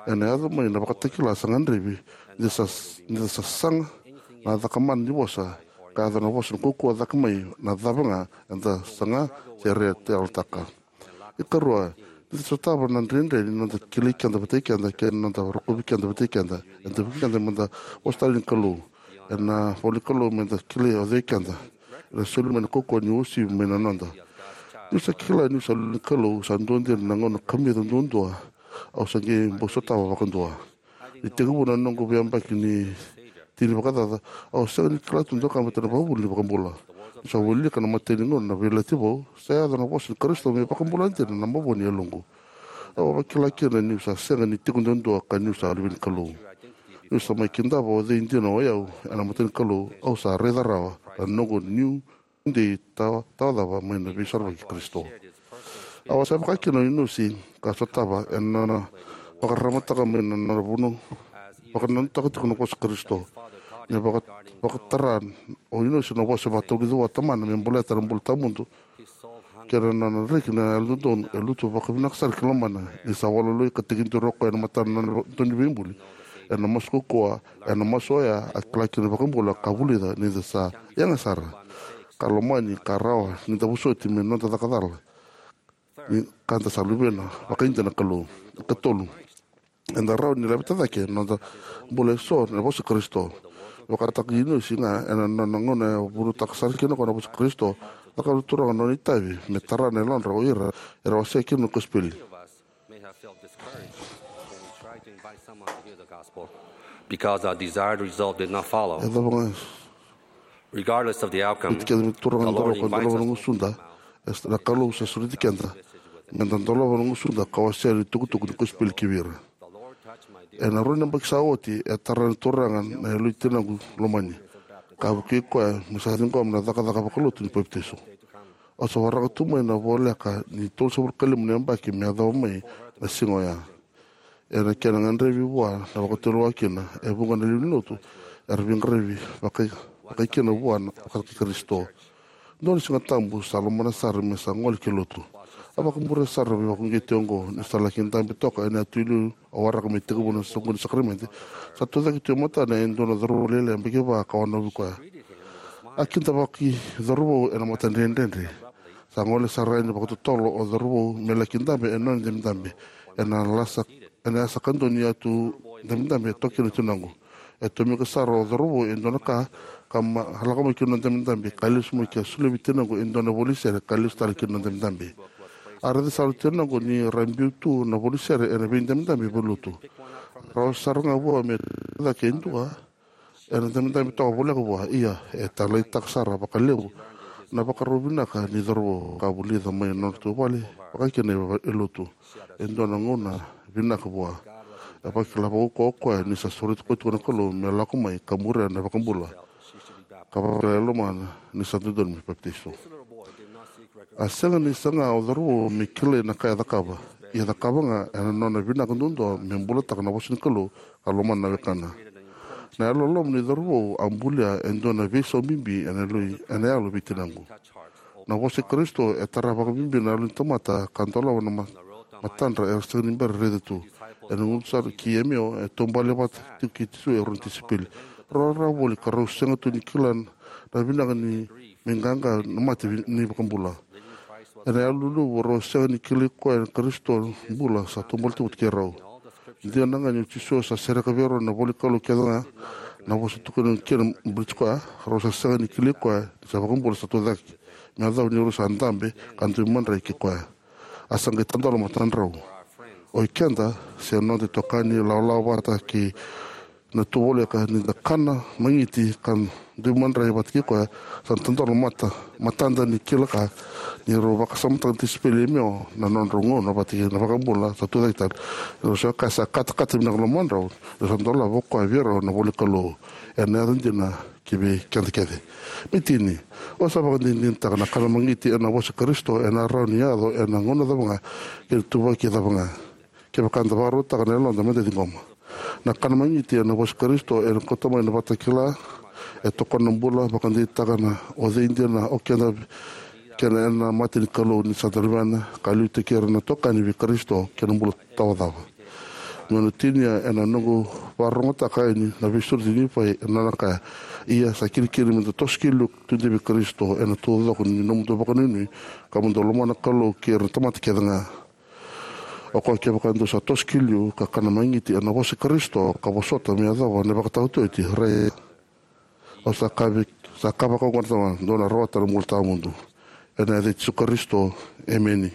Ena yaco mai na vakatakila sa gadrevi ni da sa, ni da sa saga na cakamana ni vosa, ka yaco na vosa ni kaukauwa cake mai na cava ga eda saga se raiyalataka. Ikarua, ni da sotava na dredre ni noda kilai keda vatai keda kei na noda rokovi keda vatai keda, eda vukei keda me da vosa tale ni Kalou. Ena ivola ni Kalou me da kilai o cei keda. Ena soli mai na kaukauwa ni uasivi mai na noda. Niu sa kila niu sa luvena na Kalou, sa dua dina na gauna kamica duadua au sa qai bau sotava vakadua. Ni tekivu na noqu veiyabaki ni tini vakacaca, au sega ni kila tu dua ka baleta na ivakavuvuli ni iVakabula. Niu sa wilika na imatai ni gauna na Veiyalayalati Vou, sa yaco na vosa ni Karisito me vakabula dina na mavoa ni yaloqu. Au a vakila kina niu sa sega ni tiko duadua ka niu sa luve ni Kalou. Niu sa mai kidava o cei dina o yau ena mata ni Kalou, au sa raica rawa na noqu niu dei tawa, tawa cava mai na Veisorovaki i Karisito. Au a sa vaka kina o Inosi ka sotava ena nona vakararamataka mai na nona vunau, vakananutaka tiko na vosa i Karisito. Me vaka, vakatara o Inosi na vosa e vakatavulica vua o tamana me baleta na bula tawamudu kei na nona reki na yalododonu, e lutu vakavinaka sara ki lomana ni sa walu loi ka tekiduru o koya ena matana na nona dauniveibuli. Ena masu kaukauwa, ena masu oya a kila kina na iVakabula ka vulica ni da sa yaga sara, ka lomani, ka rawa ni da vosoti me noda caka cala, ni ka da sa luvena vakaidina na Kalou. Ikatolu, eda rawa ni laveta cake na noda bula eso ena vosa i Karisito. Vakataki Inosi ga ena nona gauna e vunautaka sara kina o koya na vosa i Karisito, cakava na Turaga na nona itavi me tara na yalodra o ira era wasea kina na kosipeli. May have felt discouraged when we tried to invite someone to hear the gospel because our desired result did not follow. E cava ga Regardless of the outcome, vei keda me turaga the Lord dolavi ka invites dolava na us to gusuda, open our mouth e sa na Kalou sa sureti keda me da dolava na gusuda ka wasea na itukutuku ni kosipeli ki vei ira. The Lord touched my dear Ena rua na yabaki sa oti, e tara na Turaga na yaloi tinaqu lomani, ka vukei koya me sa ciqoma na cakacaka vakalotu ni papitaiso. Au sa waraka tu mai na voleka ni tolusagavulu ka lima na yabaki me yacova mai na siga oya. Ena kena gadrevi vua na vakatulewa kina e vuqa na lewe ni lotu era veiqaravi vakai, vakai kina vua na vaka-Karisito. Dua na Siga Tabu sa lomana sara me sa gole ki lotu. A vakamuria sara na veivakauqeti oqo ni sa laki dabe toka ena yatu iliu, a waraka me tekivu na soqoni ni sakaramede. Sa tucake tu e matana e dua na cauravou lailai yabaki va ka wanovi koya. A kidavaki cauravou ena matadredredre. Sa gole sara yani vakatotolo o cauravou me laki dabe ena nona dabedabe. Ena lasa, ena yasa kadua ni yatu dabedabe e toka kina na tinaqu. E tomika sara o cauravou e dua na ka, ka ma, lako mai ki na nona dabedabe, ka lesu mai ka solia vei tinaqu e dua na ivola ni sere, ka lesu tale ki na nona dabedabe. A raica sara o tinaqu ni ra biu tu na ivola ni sere ena veidabedabe vakalotu. Rawa sara ga vua me cake e dua ena dabedabe toka voleka vua, ia e taleitaka sara vakalevu na vakarau vinaka ni cauravou ka vulica mai na nodratou vale, vaka kina e lotu. E dua na gauna vinaka vua. E vakila vakaukauwa o koya ni sa sureti koya tiko na Kalou me lako mai ka muria na iVakabula, ka vakila e lomana ni sa dodonu me papitaiso. A sega ni saga o cauravou me kilai na ka e cakava, ia cakava ga ena nona vinaka duadua me bulataka na vosa ni Kalou ka lomana na wekana. Na yalololoma ni cauravou a bulia e dua na veisau bibi ena yalo, ena yalo vei tinaqu. Na vosa i Karisito e tara vakabibi na yalo ni tamata ka dolava na ma-, matadra era sega ni bera raica tu. Ena gunu sara ki Emeo, e taubale vata tiko kei Jisu e rua na tisaipeli. Rau rawarawa voli ka rau sega tu ni kila na vinaka ni me qaqa na mate vi-, ni iVakabula. Ena yalo luluvu rau sega ni kilai koya na Karisito bula sa taubale tu vata kei rau. Dina ga ni o Jisu sa sereka vei rau na ivola ni Kalou kece ga, na vosa tukuna kina baleti koya, rau sa sega ni kilai koya ni sa iVakabula sa tucake me yacova ni rau sa dabe ka dui madrai kei koya. A sa qai tadola matadrau. O ikeda, se noda itokani, lawalawa vata kei na tu voleka, ni da kana magiti ka dui madrai vata kei koya, sa tadola mata, matada ni kila ka ni rau vakasamataka na tisaipeli i Emeo na nodrau gauna vata kei na iVakabula sa tucake tale. Ni rau sa kaya sa katakata vinaka na lomadrau, ni sa dolava o koya vei rau na ivola ni Kalou. Ena yaco dina ki vei keda kece. Me tini, au sa vakadinadinataka na kana magiti ena vosa i Karisito ena rawa ni yaco ena gauna cava ga kei na ituvaki cava ga, kevaka eda vakarautaka na yaloda me da ciqoma. Na kana magiti ena vosa i Karisito ena kauta mai na ivakatakila, e tokona na bula, vakadeitaka na o cei dina o keda kei na mate ni Kalou ni sa da luvena, ka liutaki ira na itokani vei Karisito kei na bula tawa cava. Meu na tinia ena noqu vakarogotaka yani na veisureti nei Nifai ena nona kaya: Ia sa kilikili me da toso ki liu, tudei vei Karisito ena taucoko ni nomudou vakanuinui, ka mo dou lomana na Kalou kei ira na tamata kece ga. O koya, kevaka dou sa toso ki liu ka kana magiti ena vosa i Karisito, ka vosota me yacova na ivakataotioti, rai, au sa kaya vei, sa kaya vakaoqo na Tamaqu, dou na rawata na bula tawamudu. Ena yaca i Jisu Karisito, emeni.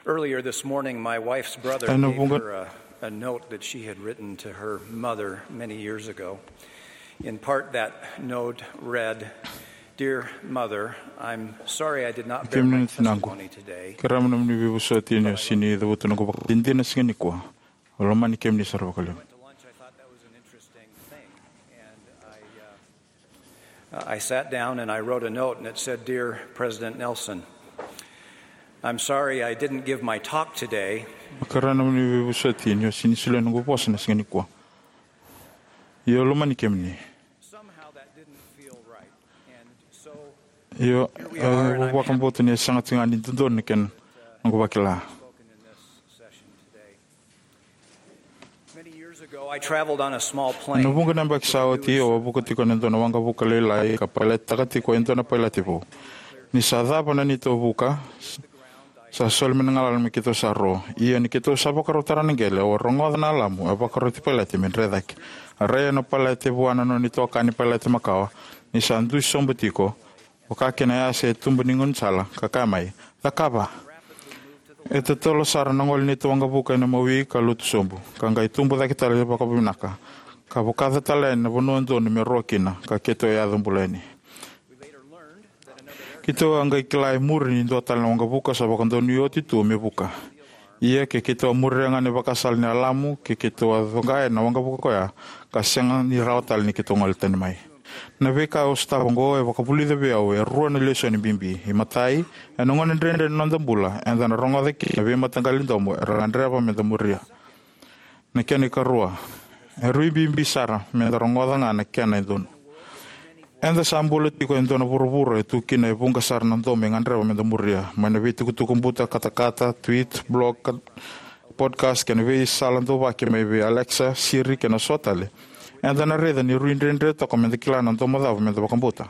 Earlier this morning, my wife's brother gave her a, a note that she had written to her mother many years ago. In part, that note read, "Dear Mother, I'm sorry I did not bear my testimony today." Kerea mo nomuni veivosoti ni o sega ni cavuta noqu vakadinadina siga nikua. Au lomani kemuni sara vakalevu. Uh, I sat down and I wrote a note and it said, "Dear President Nelson, I'm sorry I didn't give my talk today." Kerea mo nomuni veivosoti ni o sega ni solia noqu vosa na siga nikua. Ia au lomani kemuni. Somehow that didn't feel right. And so, io, here we are, and I'm vakabauta ni sega tiko ga ni dodonu na kena noqu vakila. Ena vuqa na yabaki sa oti, au a vuka tiko ena dua na waqavuka lailai ka pailatitaka tiko e dua na pailate vou. Ni sa cava na neitou vuka, sa soli mai na galala me keitou sa ro. Ia ni keitou sa vakarau tara na qele, au a rogoca na alamu e vakaroti pailate me dre cake. A rai na pailate vua na nona itokani pailate makawa, ni sa dui sobu tiko, vaka kina yasa e tuba ni gaunisala, ka kaya mai, "Cakava!" E totolo sara na gole ni neitou waqavuka ena mawi ka lotu sobu, ka qai tubu cake tale vakavinaka, ka vakaca tale yani na vanua donu me ro kina, ka keitou yaco bula yani. Keitou a qai kila e muri ni dua tale na waqavuka sa vakadonui oti tu me vuka. Ia ke keitou a muria ga na ivakasala ni Alamu, ke keitou a coqai ena waqavuka koya, ka sega ni rawa tale ni keitou gole tani mai. Na veika au sotava oqo e vakavulica vei au e rua na lesoni bibi. Imatai, ena gauna dredre ni noda bula, eda na rogoca kina na veimataqali domo era gadreva meda muria. Na kena ikarua, e rui bibi sara meda rogoca ga na kena e donu. Eda sa bula tiko e dua na vuravura e tu kina e vuqa sara na domo e gadreva meda muria, mai na veitukutuku buta katakata, tweet, blog, ka-, podcast, kei na veisala dauvaki mai vei Alexa, Siri, kei na so tale. Eda na raica ni rui dredre toka meda kila na domo cava meda vakabauta.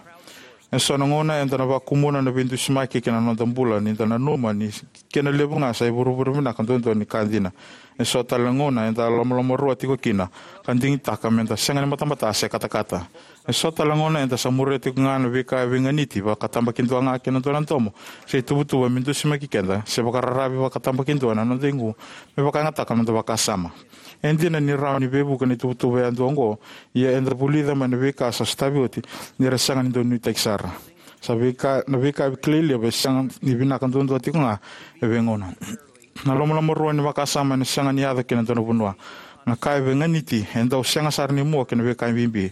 E so na gauna eda na vakumuna na veidusimaki ki na noda bula, ni da nanuma ni kena levu ga sa ivurevure vinaka duadua ni ka dina. E so tale na gauna eda lomalomarua tiko kina, ka digitaka meda sega ni batabata se katakata. E so tale na gauna eda sa muria tiko ga na veika e veiganiti, vakatabakidua ga kei na dua na domo se ituvatuva me dusimaki keda, se vakararavi vakatabakidua na noda igu me vakayagataka na noda vakasama. E dina ni rawa ni veivuke na ituvatuva yadua oqo, ia eda vulica mai na veika sa sotavi oti ni ra sega ni dau nuitaki sara. Sa veika, na veika kilai levu e sega ni vinaka duadua tiko ga e veigauna. Na lomalomarua ni vakasama ena sega ni yaco ki na dua na vanua. Na ka e veiganiti e dau sega sara ni mua ki na veika bibi.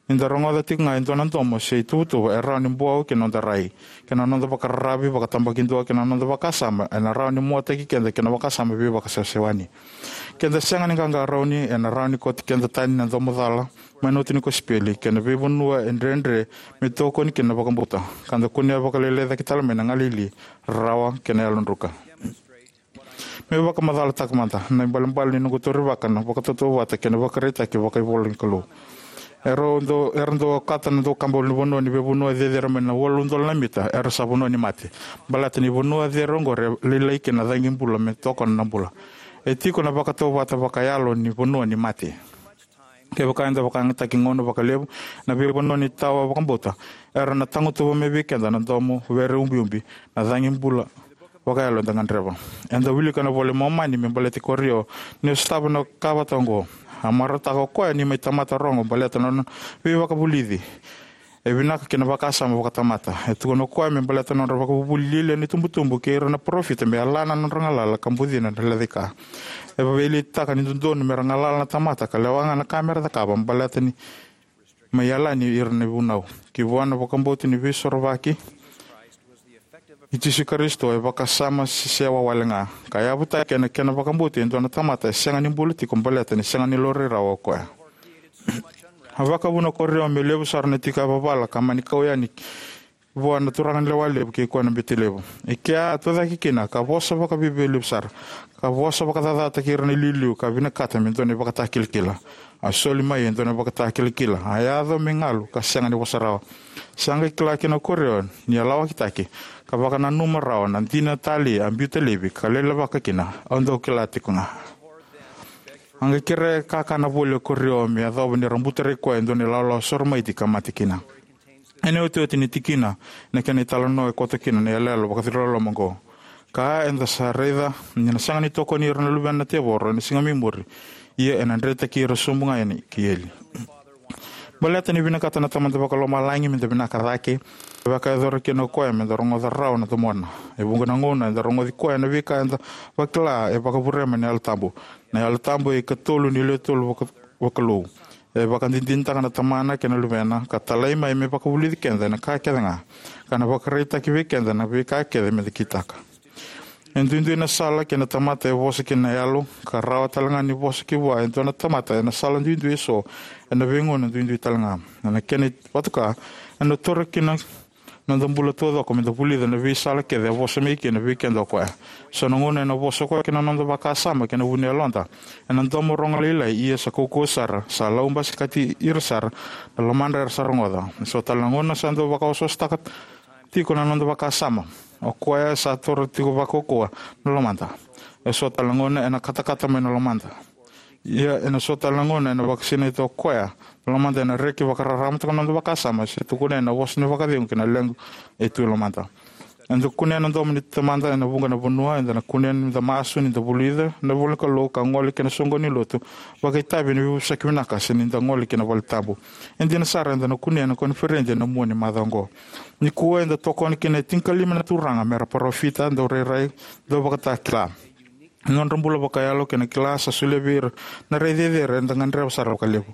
Ni da rogoca tiko ga e dua na domo se ituvatuva, e rawa ni buau ki na noda rai, ki na noda vakararavi vakatabakidua, ki na noda vakasama, ena rawa ni muataki keda ki na vakasama veivakasewasewani. Ke da sega ni qaqarauni, ena rawa ni kauti keda tani na domo cala mai na oti ni kosipeli kei na veivanua e dredre me tokoni kina na vakabauta, ka da kunea vakalailai cake tale mai na galili, rarawa kei na yalodruka. Meu vakamacalataka mada na ibalebale ni noqu taurivaka na vakatautauvata kei na ivakaraitaki vakaivolanikalou. Era dau, era dau okata na daukaba ulunivanua ni veivanua cecere mai na walu udolu na mita era sa vanua ni mate, baleta ni vanua cecere oqori e lailai kina na cagi bula me tokona na bula. E tiko na vakatautauvata vakayalo ni vanua ni mate. Kevaka eda vakayagataki gauna vakalevu ena veivanua ni tawa vakabauta, era na tagutuva mai vei keda na domo were ubiubi, na cagi bula vakayalo eda gadreva. Eda wilika na iVola i Momani me baleti Korio ni a sotava na ka vata oqo. A marautaka o koya ni mai tamata rogo baleta na nona veivakavulici e vinaka kei na vakasama vakatamata. E tukuna o koya me baleta na nodra vakavuvuli lialia na itubutubu kei ira na parofita me yalana na nodra galala ka bucina na lecaika. E veiletitaka ni dodonu me ra galala na tamata ka lewa ga na ka me ra cakava baleta ni mai yalani ira na vunau. Ki vua na vakabauti ni Veisorovaki i Jisu Karisito e vakasama sesewa wale ga, ka yavutaki ena kena vakabauti e dua na tamata e sega ni bula tiko baleta ni sega ni laurai rawa o koya. A vakavuna o Korio me levu sara na tiko yavavala ka mani kau yani vua na turaganilewa levu kei koya na bete levu. E kea a tucake kina ka vosa vakaviavialevu sara, ka vosa vakacacataki ira na iliuliu ka vinakata me dua na ivakatakilakila. A soli mai e dua na ivakatakilakila, a yaco me galu ka sega ni vosa rawa. Sa qai kila kina o Korio ni a lawakitaki, ka vakananuma rawa na dina talei a biuta laivi ka lailavaka kina, "Au dau kila tiko ga." A qai kerea e kakana voli o Korio me yacova ni ra butarai koya e dua na ilawalawa soromaiti ka mate kina. Ena iotioti ni tikina, na kena italanoa e koto kina na iyaloyalo vakaciriloloma oqo. Ka eda sa raica ni na sega ni tokoni ira na luvena na tevoro ena siga mai muri, ia ena dretaki ira sobu ga yani kei eli. Baleta ni vinakata na Tamada Vakalomalagi meda vinaka cake, e vakayacora kina o koya meda rogoca rawa na domona. E vuqa na gauna eda rogoci koya ena veika eda vakila e vakavure mai na Yalo Tabu. Na Yalo Tabu e ikatolu ni lewe tolu vaka-, vakalou. E vakadinadinataka na Tamana kei na Luvena, ka talai mai me vakavulici keda ena ka kece ga, ka na vakaraitaki vei keda na veika kece meda kitaka. E duidui na sala kei na tamata e vosa kina na Yalo, ka rawa tale ga ni vosa ki vua e dua na tamata ena sala duidui eso, ena veigauna duidui tale ga. Ena kena ivatuka, ena taura kina na noda bula taucoko meda vulica na veisala kece e vosa mai kina vei keda o koya. So na gauna ena vosa o koya ki na noda vakasama kei na vu ni yaloda ena domo rogo lailai, ia sa kaukauwa sara, sa laubasikati ira sara na lomadra era sa rogoca. So tale na gauna sa dau vakaosoosotaka tiko na noda vakasama. O koya sa taura tiko vakaukauwa na lomada. E so tale na gauna ena katakata mai na lomada. Ia ena so tale na gauna ena vakasinaita o koya na lomada, ena reki vakararamataka na noda vakasama, se tukuna ena vosa ni vakacegu kei na leqa e tu e lomada. Eda kunea na domo ni Tamada ena vuqa na vanua. Eda na kunea ni da masu, ni da vulica na ivolanikalou, ka gole ki na soqoni ni lotu, vakaitavi ena veivosaki vinaka, se ni da gole ki na valetabu. E dina sara, eda na kunea na koniferedi ena mua ni macawa oqo. Nikua eda tokona kina e tinikalima na turaga mera parofita, daurairai, dauvakatakila. Na nodra bula vakayalo kei na kila sa solia vei ira na rai cecere eda gadreva sara vakalevu.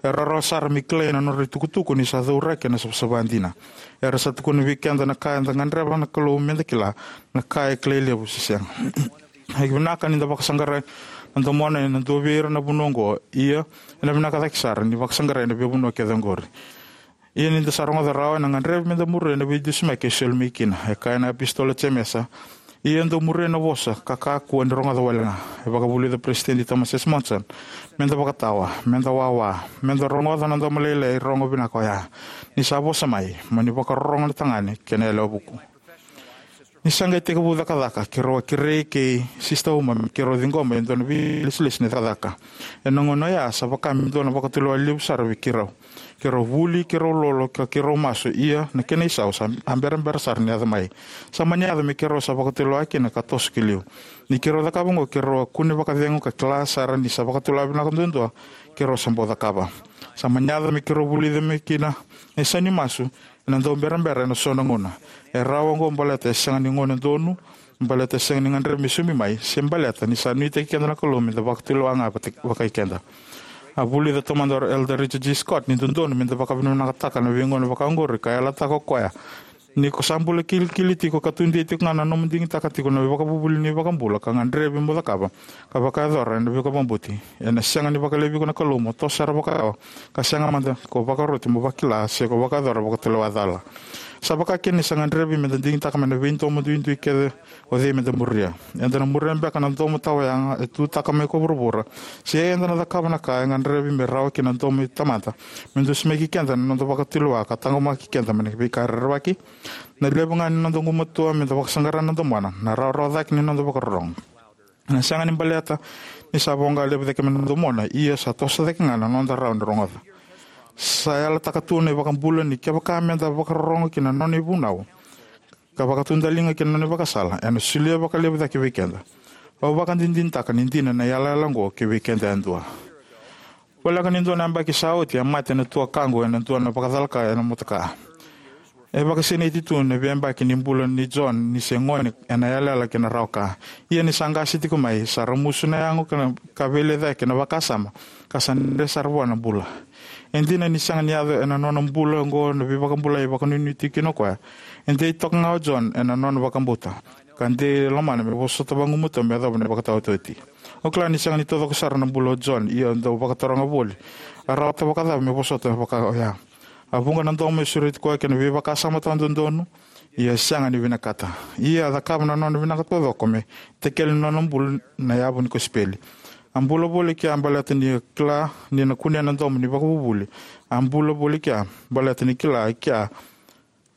E rawarawa sara me kilai na nodra itukutuku ni sa cauraki ena savasava dina. Era sa tukuna vei keda na ka eda gadreva na Kalou meda kila, na ka e kilai levu se sega. E vinaka ni da vakasaqarai na domona ena dua vei ira na vanua oqo, ia ena vinaka cake sara ni vakasaqarai na veivanua kece oqori. Ia ni da sa rogoca rawa, ena gadrevi meda muria na veidusimaki e soli mai kina. E kaya na iApositolo o Jemesa: Ia dou muria na vosa ka kakua ni rogoca wale ga. E vakavulica o Peresitedi Thomas S. Monson: Meda vakatawa, meda wawa, meda rogoca na domo lailai rogo vinaka oya, ni sa vosa mai: Mo ni vakarorogo na tagane kei na yalewa vuku. Ni sa qai tekivu cakacaka, keirau a kerei kei Sisita Uma me keirau ciqoma e dua na veilesilesi ni cakacaka. Ena gauna oya sa vaka me dua na vakatulewa levu sara vei keirau. Keirau vuli, keirau lolo, ka keirau masu, ia na kena isau sa a berabera sara ni yaco mai. Sa mani yaco me keirau sa vakatulewa kina ka toso ki liu. Ni keirau cakava oqo, keirau a kune vakacegu ka kila sara ni sa vakatulewa vinaka duadua keirau sa bau cakava. Sa mani yaco me keirau vulica mai kina na isau ni masu ena dau berabera ena so na gauna. E rawa oqo baleta e sega ni gauna donu, baleta e sega ni gadrevi me saumi mai, se baleta ni sa nuitaki keda na Kalou meda vakatulewa ga vata-, vakai keda. A vulica taumada o Elder Richard G. Scott ni dodonu meda vakavinavinakataka na veigauna vakaoqori ka yalataka o koya: Ni ko sa bula kilikili tiko ka tudei tiko ga na nomu digitaka tiko na ivakavuvuli ni iVakabula ka gadrevi mo cakava ka vakayacora ena veivakabauti, ena sega ni vakalevi iko na Kalou mo toso sara vakayalo ka sega mada ko vakaroti mo vakila se ko vakayacora vakatulewa cala. Sa vaka kina ni sa gadrevi meda digitaka mai na veidomo duidui kece o cei meda muria. Eda na muria beka na domo tawayaga e tutaka mai ko vuravura, se eda na cakava na ka e gadrevi me rawa kina na domo i Tamada me dusimaki keda na noda vakatulewa ka taqomaki keda mai na veika rerevaki? Na levu ga ni noda gumatua meda vakasaqara na domona, na rawarawa cake ni noda vakarorogo. Ena sega ni baleta ni sa voqa levu cake mai na domona, ia sa toso cake ga na noda rawa ni rogoca. Sa yalataka tu na iVakabula ni kevaka meda vakarorogo ki na nona ivunau ka vakatudaliga ki na nona ivakasala, ena solia vakalevu cake vei keda. Au vakadinadinataka ni dina na yalayala oqo ki vei keda yadua. Voleka ni dua na yabaki sa oti, a mate na tuakaqu ena dua na vakacalaka ena motoka. E vakasinaiti tu na veiyabaki ni bula nei John ni se gone ena yalayala kei na rawa ka. Ia ni sa qase tiko mai, sa ramusu na yago ka na, ka veilecayaki na vakasama, ka sa dredre sara vua na bula. E dina ni sega ni yaco ena nona bula oqo na veivakabulai e vakanuinui tiko kina o koya, e dei toka ga o John ena nona vakabauta ka dei lomana me vosota vagumatua me yacova na ivakataotioti. Au kila ni sega ni taucoko sara na bula o John, ia dau vakataroga voli, a rawata vakacava me vosota vaka oya? A vuqa na domo e sureti koya kei na veivakasama tawadodonu, ia e sega ni vinakata. Ia a cakava na nona vinaka taucoko me itakele na nona bula na yavu ni kosipeli. A bula voli kea baleta ni kila ni na kunea na domo ni vakavuvuli. A bula voli kea baleta ni kila kea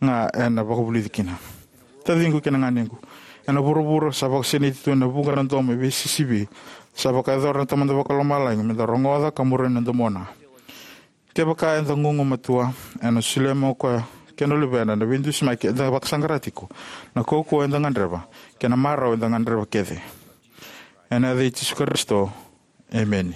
ga ena vakavulici kina. Taciqu kei na ganequ, ena vuravura sa vakasinaiti tu ena vuqa na domo e veisisivi. Sa vakayacora na Tamada Vakalomalagi meda rogoca ka muria na domona. Kevaka eda gugumatua, ena solia mai o koya kei na Luvena na veidusimaki eda vakasaqara tiko, na kaukauwa eda gadreva, kei na marau eda gadreva kece. Ena yaca i Jisu Karisito, emeni.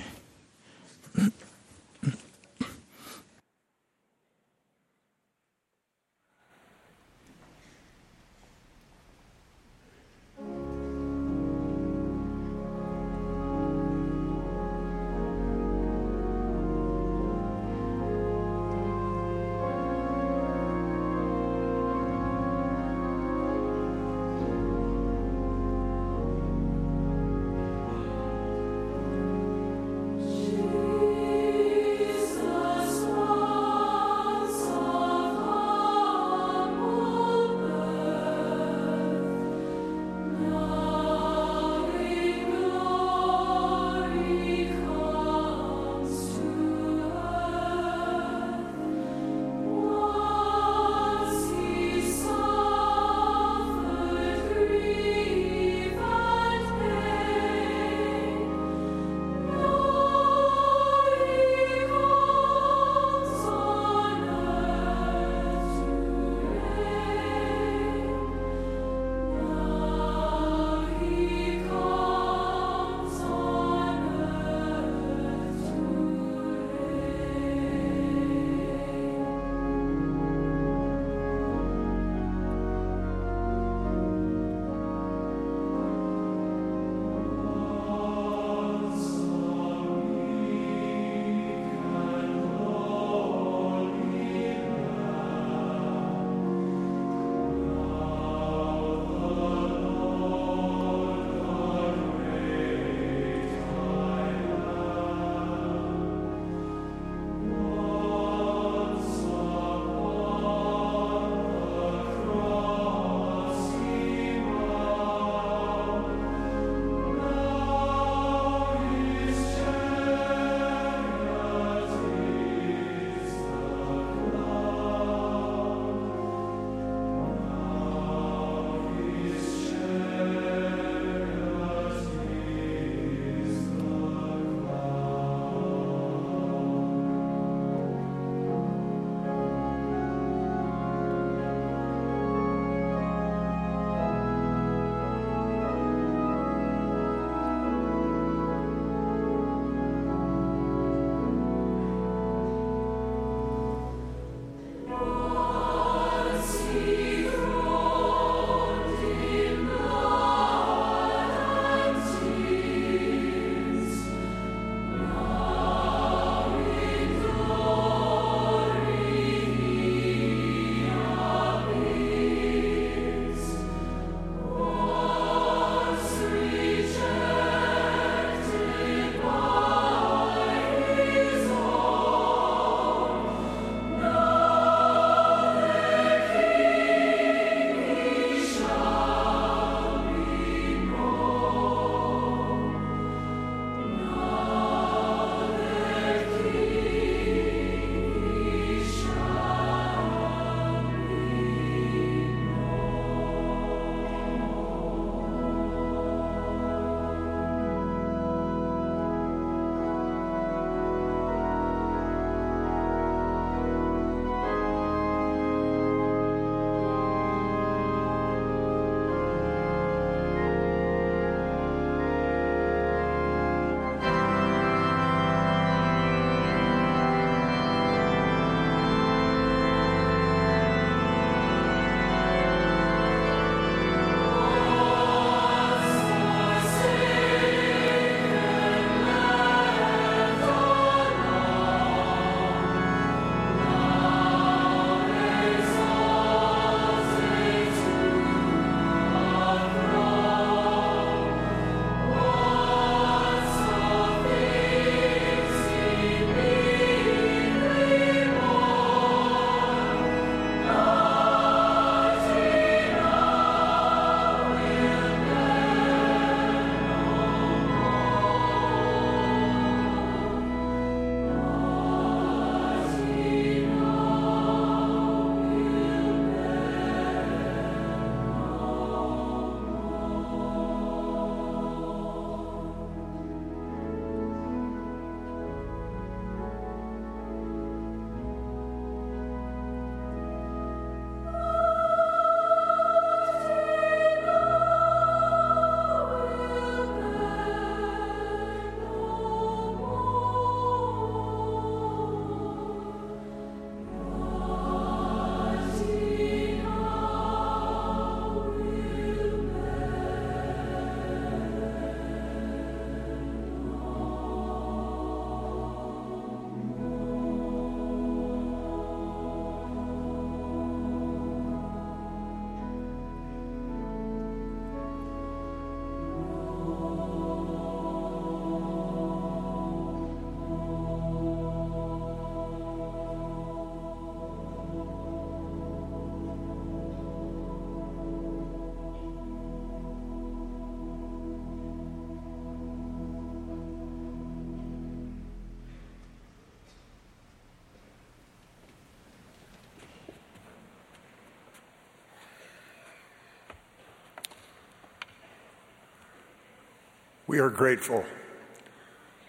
We are grateful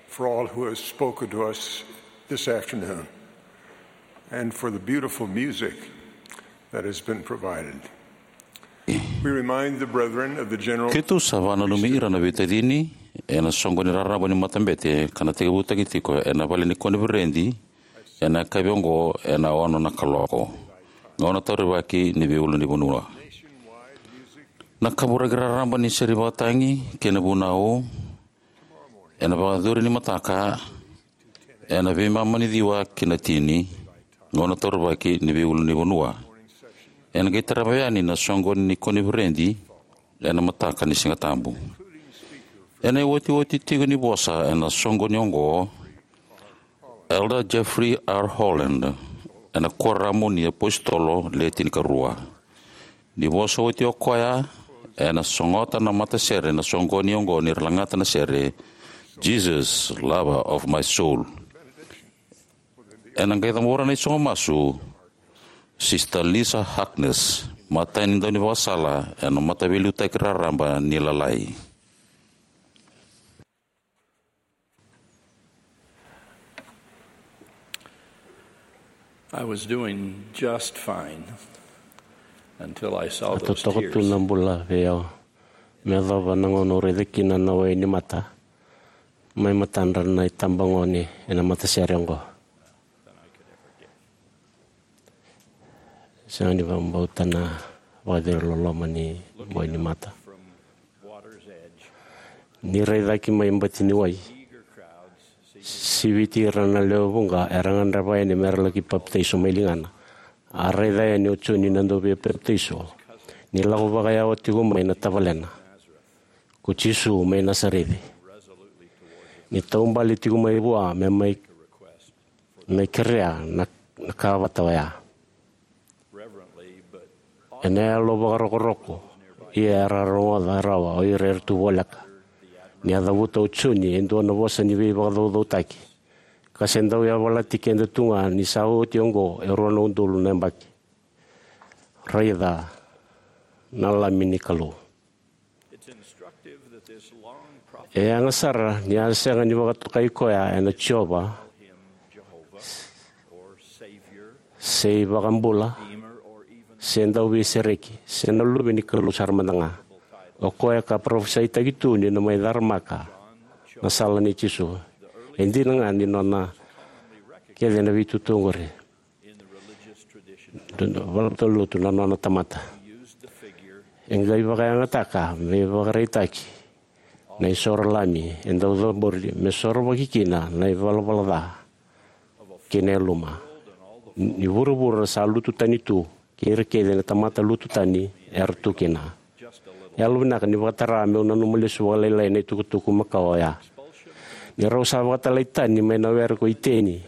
for all who have spoken to us this afternoon and for the beautiful music that has been provided. We remind the brethren of the general Keitou sa vakananumi ira na veitacini ena soqoni raraba ni matabete ka na tekivutaki tiko ena vale ni koniferedi ena yakavi oqo ena ono na kaloko. Gauna taurivaki ni veiulunivanua. Na kaburaki raraba ni sere vakatagi kei na vunau ena vakayacori ni mataka ena veimama ni ciwa ki na tini, gauna taurivaki ni veiulunivanua. Ena qai tarava yani na soqoni ni koniferedi ena mataka ni Siga Tabu. Ena iotioti tiko ni vosa ena soqoni oqo, Elder Jeffrey R. Holland, ena Kuoramu ni iApositolo Le Tinikarua. Ni vosa oti o koya, ena sogota na matasere na soqoni oqo ni ra lagata na sere, Jesus, Lover of My Soul. Ena qai cabora na isogo masu, Sister Lisa Harkness, matai ni daunivakasala ena Mataveiliutaki Raraba ni Lalai. I was doing just fine until I saw A those totoka tu tears. Na bula vei au me yacova na gauna au raica kina na wai ni mata mai matadra na itabagone ena matasere oqo. Sega ni vakabauta na vakaciri loloma ni wai ni mata. Ni rai cake mai bati ni wai, siviti ira na lewe vuqa era gadreva yani me ra laki papitaiso mai ligana. A raica yani o Joni na dauveipapitaiso ni lako vakayawa tiko mai na tavalena, ko Jisu mai Nasareci. Ni taubale tiko mai vua me mai me kerea na, na ka vata oya. Ena yalo vakarokoroko, ia era rogoca rawa o ira era tu voleka. Ni a cavuta o Joni e dua na vosa ni veivakacaucautaki, ka se dau yavalati keda tu ga ni sa oti oqo e rua na udolu na yabaki. Raica na Lami ni Kalou. E yaga sara ni a sega ni vakatokai koya ena Jiova, se iVakabula, se Dauveisereki, se na Luve ni Kalou sara mada ga. O koya ka parofisaitaki tu ni na mai caramaka na sala nei Jisu. E dina ga ni nona kece na veitutu oqori. Dua na valenilotu na nona tamata. E qai vakayagataka me ivakaraitaki na isoro lami e dau cabori me sorovaki kina na ivalavala ca kei na yaluma ni vuravura sa lutu tani tu, kei ira kece na tamata lutu tani era tu kina. Yalovinaka ni vakatara meu nanuma lesu vakalailai na itukutuku makawa oya. Ni rau sa vakatalai tani mai na were ko Iteni,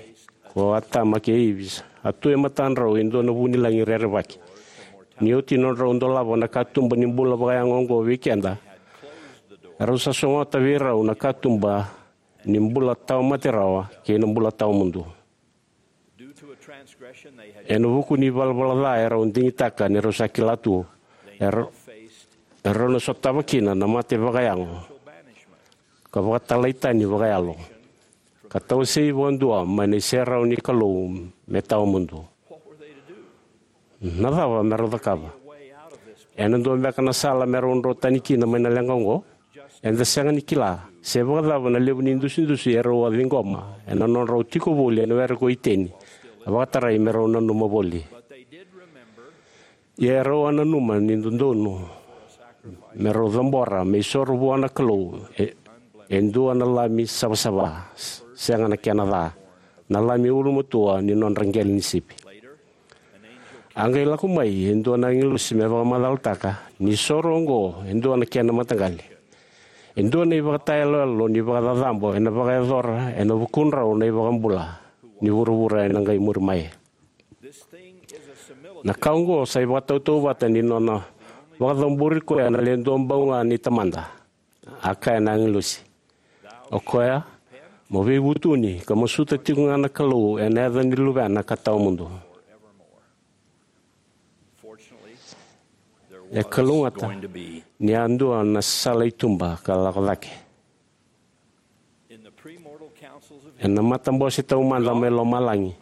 ko Atama kei Ivi, a tu e matadrau e dua na vunilagi rerevaki. Ni oti nodrau dolava na katuba ni bula vakayago oqo vei keda, rau sa sogota vei rau na katuba ni bula tawa mate rawa kei na bula tawa mudu. Ena vuku ni valavala ca e rau digitaka ni rau sa kila tu, e rau, e rau na sotava kina na mate vakayago ka vakatalai tani vakayalo, ka tawasei vakadua mai na iserau ni Kalou me tawa mudu. Na cava me rau cakava? Ena dua beka na sala me rau dro tani kina mai na leqa oqo? Eda sega ni kila se vakacava na levu ni dusidusi e rau a ciqoma ena nodrau tiko voli ena were ko Iteni. A vakatarai me rau nanuma voli. Ia e rau a nanuma ni dodonu me rau cabora me isoro vua na Kalou e, e dua na lami savasava, sega na kena ca, na lami ulumatua ni nodra qele ni sipi. A qai lako mai e dua na agilosi me vakamacalataka ni soro oqo e dua na kena mataqali. E dua na ivakatayaloyalo ni vakacacabo ena vakayacora ena vukudrau na iVakabula ni vuravura ena qai muri mai. Na ka oqo sa ivakatautauvata ni nona vakacabori koya na le duabau ga ni Tamada. A kaya na agilosi, o koya, mo veivutuni ka masuta tiko ga na Kalou ena yaca ni Luvena ka tawa mudu. E kalougata ni a dua na sala i tuba ka lako cake. Ena matabose taumada mai lomalagi,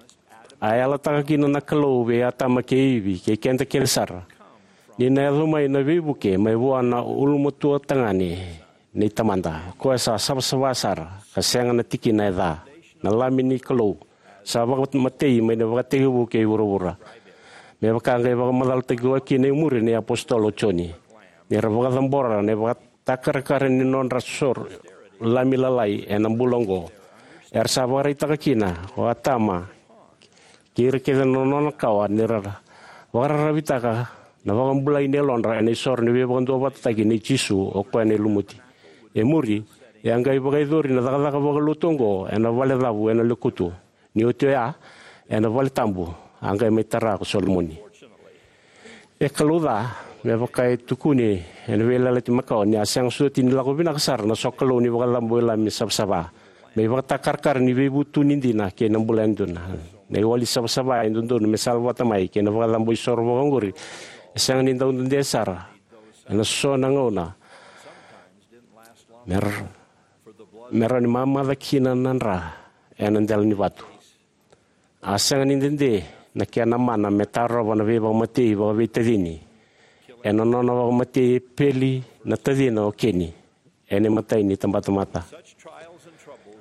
a yalataka kina na Kalou vei Atama kei Ivi kei keda kece sara, ni na yaco mai na veivuke mai vua na ulumatua tagane nei Tamada, o koya sa savasava sara ka sega na tikina e ca, na Lami ni Kalou, sa vakamatei mai na ivakatekivu kei vuravura, me vaka a qai vakamacalataki koya kina e muri na iapositolo o Joni, ni ra vakacabora na ivakatakarakara ni nodra soro lami lalai ena bula oqo. Era sa vakaraitaka kina o Atama kei ira kece na nona kawa ni ra vakararavitaka na vakabulai ni yalodra ena isoro ni veivakaduavatataki nei Jisu, o koya na lumuti. E muri, e a qai vakayacori na cakacaka vakalotu oqo ena valecavu ena lekutu. Ni oti oya, ena vale tabu, a qai mai tara ko Solomoni. E kalouca, me vaka e tukuni ena Veiyalayalati Makawa, ni a sega soti ni lako vinaka sara na sokalou ni vakacabo i lami savasava, me ivakatakarakara ni veivutuni dina kei na bula yadua. Na iwali savasava e dodonu me salavata mai kei na vakacabo isoro vakaoqori e sega ni dau dede sara ena so na gauna me ra, me rawa ni mamaca kina na dra ena dela ni vatu. A sega ni dede na kena mana me tarova na veivakamatei vakaveitacini ena nona vakamatei Epeli na tacina o Keni ena imatai ni itabatamata.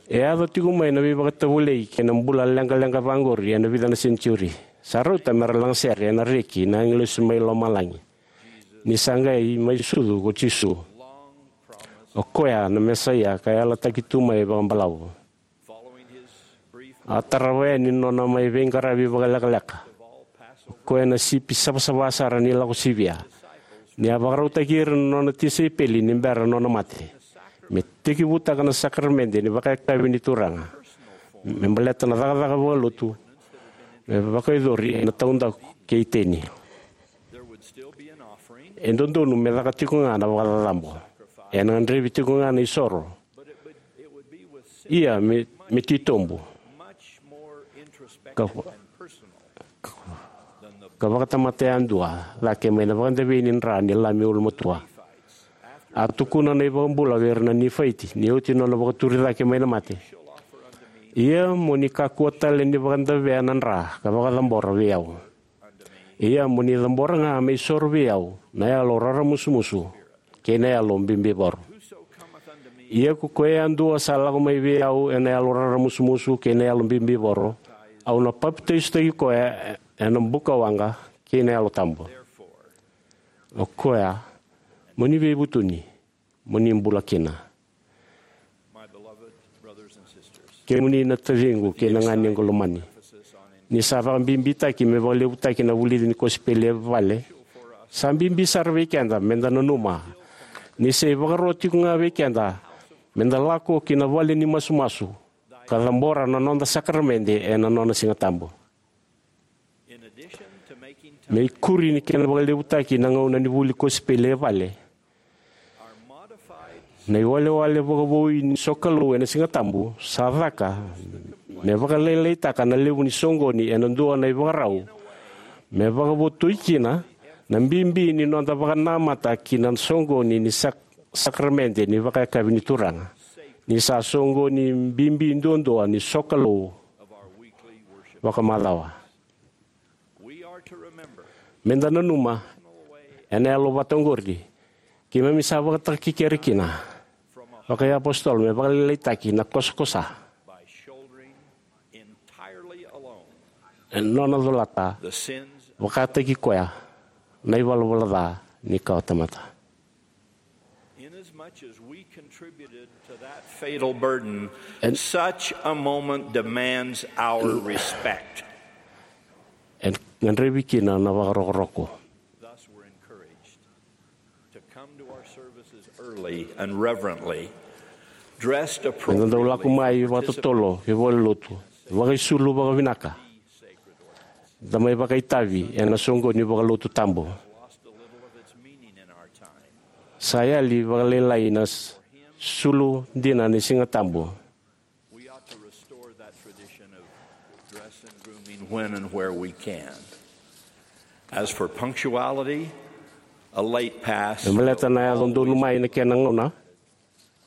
E yaco tiko mai na veivakatovolei kei na bula leqaleqa vaqori ena vica na senitiuri. Sa rauta me ra lagasere ena reki na agilosi mai lomalagi, ni sa qai mai sucu ko Jisu, o koya na Mesaia ka yalataki tu mai vakabalavu. A tarava yani nona mai veiqaravi vakalekaleka, o koya na sipi savasava sara ni Lako Sivia, ni a vakarautaki ira na nona tisaipeli ni bera nona mate, me tekivutaka na sakaramede ni vakayakavi ni Turaga, me baleta na cakacaka vakalotu me vakayacori ena taudaku kei Iteni. E dodonu me caka tiko ga na vakacacabo. Ena gadrevi tiko ga na isoro. Ia me, me titobu ka, ka, ka vakatamata yadua cake mai na vakadavei ni dra ni Lami ulumatua. A tukuna na iVakabula vei ira na Nifaiti ni oti nona vakaturi cake mai na mate: Ia mo ni kakua tale ni vakadavea na dra ka vakacabora vei au. Ia mo ni cabora ga me isoro vei au na yalo raramusumusu kei na yalo bibivoro. Ia ko koya yadua sa lako mai vei au ena yalo raramusumusu kei na yalo bibivoro, au na papitaisotaki koya ena bukawaqa kei na Yalo Tabu. O koya, mo ni veivutuni, mo ni bula kina. Kemuni na taciqu kei na ganequ lomani, ni sa vakabibitaki me vakalevutaki na vulici ni kosipeli e vale, sa bibi sara vei keda me da nanuma ni sa ivakaro tiko ga vei keda me da lako ki na vale ni masumasu ka cabora na noda sakaramede ena nona Siga Tabu. Me ikuri ni kena vakalevutaki na gauna ni vuli kosipeli e vale, na iwalewale vakavoui ni sokalou ena Siga Tabu sa caka me vakalailaitaka na levu ni soqoni ena dua na ivakarau me vakavotui kina na bibi ni noda vakanamata ki na soqoni ni sak-, sakaramede ni vakayakavi ni Turaga, ni sa soqoni bibi duadua ni sokalou vakamacawa. Me da nanuma, ena yalo vata oqori, keimami sa vakatakekere kina vakaiapositolo me vakalailaitaki na kosakosa ena nona colata vakataki koya na ivalavala ca ni kawatamata. Inasmuch as we contributed to that fatal burden, en-, such a moment demands our respect. Ena gadrevi kina na vakarokoroko. Thus we're encouraged to come to our services early and reverently, dressed appropriately. Me da dau lako mai vakatotolo ki valenilotu, vakaisulu vakavinaka. Da mai vakaitavi ena soqoni vakalotu tabu. Sa yali vakalailai na s-, sulu dina ni Siga Tabu. We ought to restore that tradition of dress and grooming when and where we can. As for punctuality, a late pass. Me baleta na yaco donumai na kena gauna,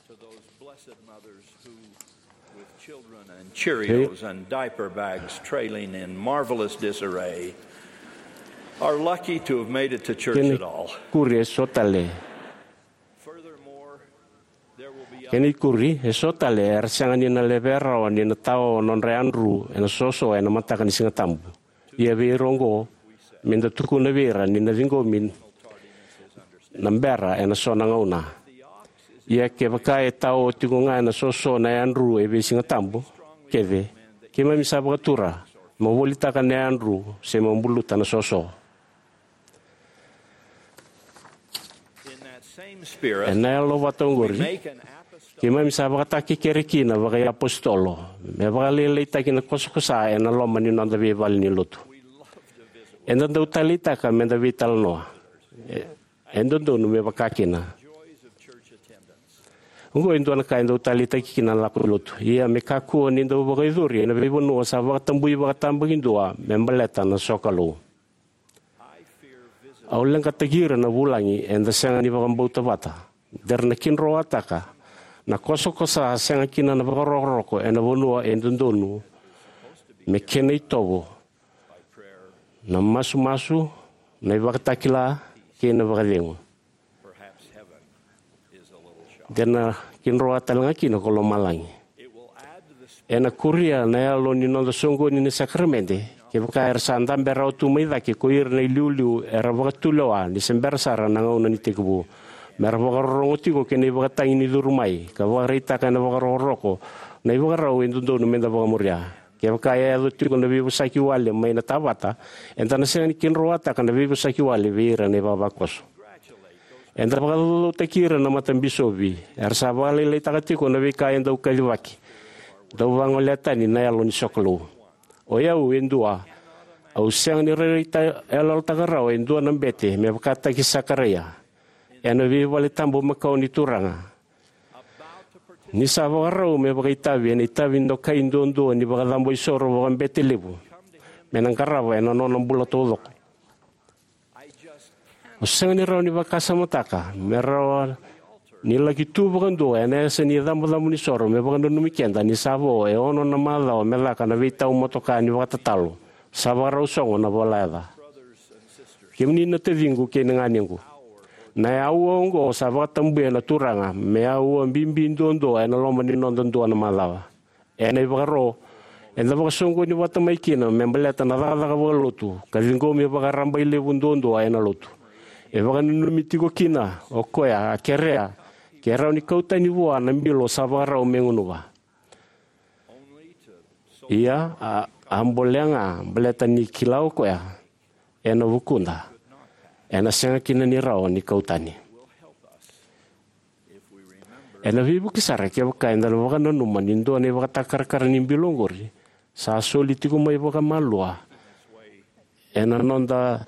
to those blessed mothers who Cheerios and diaper bags trailing in marvelous disarray are lucky to have made it to church at all. Kena ikuri eso tale. Furthermore, there will be Kena ikuri eso tale era sega ni na levea rawa ni na tao nodra yadru ena soso ena mataka ni Siga Tabu. Ia vei ira oqo, me da tukuna vei ira ni na ciqomi na bera ena so na gauna. Ia kevaka e tao tiko ga ena soso na yadru e vei Siga Tabu, kece, keimami sa vakatura mo volitaka na yadru se mo buluta na soso. Ena yalo vata oqori, keimami sa vakatakekere kina vakaiapositolo me vakalailaitaki na kosakosa ena loma ni noda veivale ni lotu. Eda dau taleitaka me da veitalanoa. E, e dodonu me vaka kina. Oqo e dua na ka e dau taleitaki kina na lako i lotu. Ia me kakua ni dau vakayacori ena veivanua sa vakatabui vakatabakidua me baleta na sokalou. Au leqataki ira na vulagi eda sega ni vakabauta vata. De ra na kidroataka na kosakosa sega kina na vakarokoroko ena vanua e dodonu me kena itovo na masumasu, na ivakatakila kei na vakacegu. De na kidroa tale ga kina ko lomalagi. Ena kuria na yalo ni noda soqoni ni sakaramede kevaka era sa dabe rawa tu mai cake ko ira na iliuliu era vakatulewa ni se bera sara na gauna ni tekivu, me ra vakarorogo tiko ki na ivakatagi ni curu mai ka vakaraitaka ena vakarokoroko na ivakarau e dodonu me da vakamuria. Kevaka e yaco tiko na veivosaki wale mai na tavata, eda na sega ni kidroataka na veivosaki wale vei ira na ivavakoso. Eda vakacaucautaki ira na matabisopi era sa vakalailaitaka tiko na veika e dau kacivaki, dau vagolea tani na yalo ni sokalou. O yau e dua, au sega ni rairai iyaloyalotaka rawa e dua na bete me vakataki Sakaraia ena veivaletabu makawa ni Turaga, ni sa vakarau me vakaitavi ena itavi dokai duadua ni vakacabo isoro vakabete levu me na qarava ena nona bula taucoko. Au sega ni rawa ni vakasamataka me rawa ni laki tu vakadua ena yasa ni icabocabo ni soro me vakananumi keda ni sa vo e ono na macawa me caka na veitau motoka ni vakatatalo. Sa vakarau sogo na volayaca. Kemuni na taciqu kei na ganequ, na aua oqo sa vakatabuya na Turaga me aua bibi duadua ena loma ni noda dua na macawa. Ena ivakaro, eda vakasoqoni vata mai kina me baleta na cakacaka vakalotu ka ciqomi vakarabailevu duadua ena lotu. E vakananumi tiko kina o koya a kerea ke rawa ni kau tani vua na bilo sa vakarau me gunuva. Ia, a, a bolea ga baleta ni kila o koya ena vukuda ena sega kina ni rawa ni kau tani. Ena veivuke sara kevaka eda na vakananuma ni dua na ivakatakarakara ni bilo oqori sa soli tiko mai vakamalua ena noda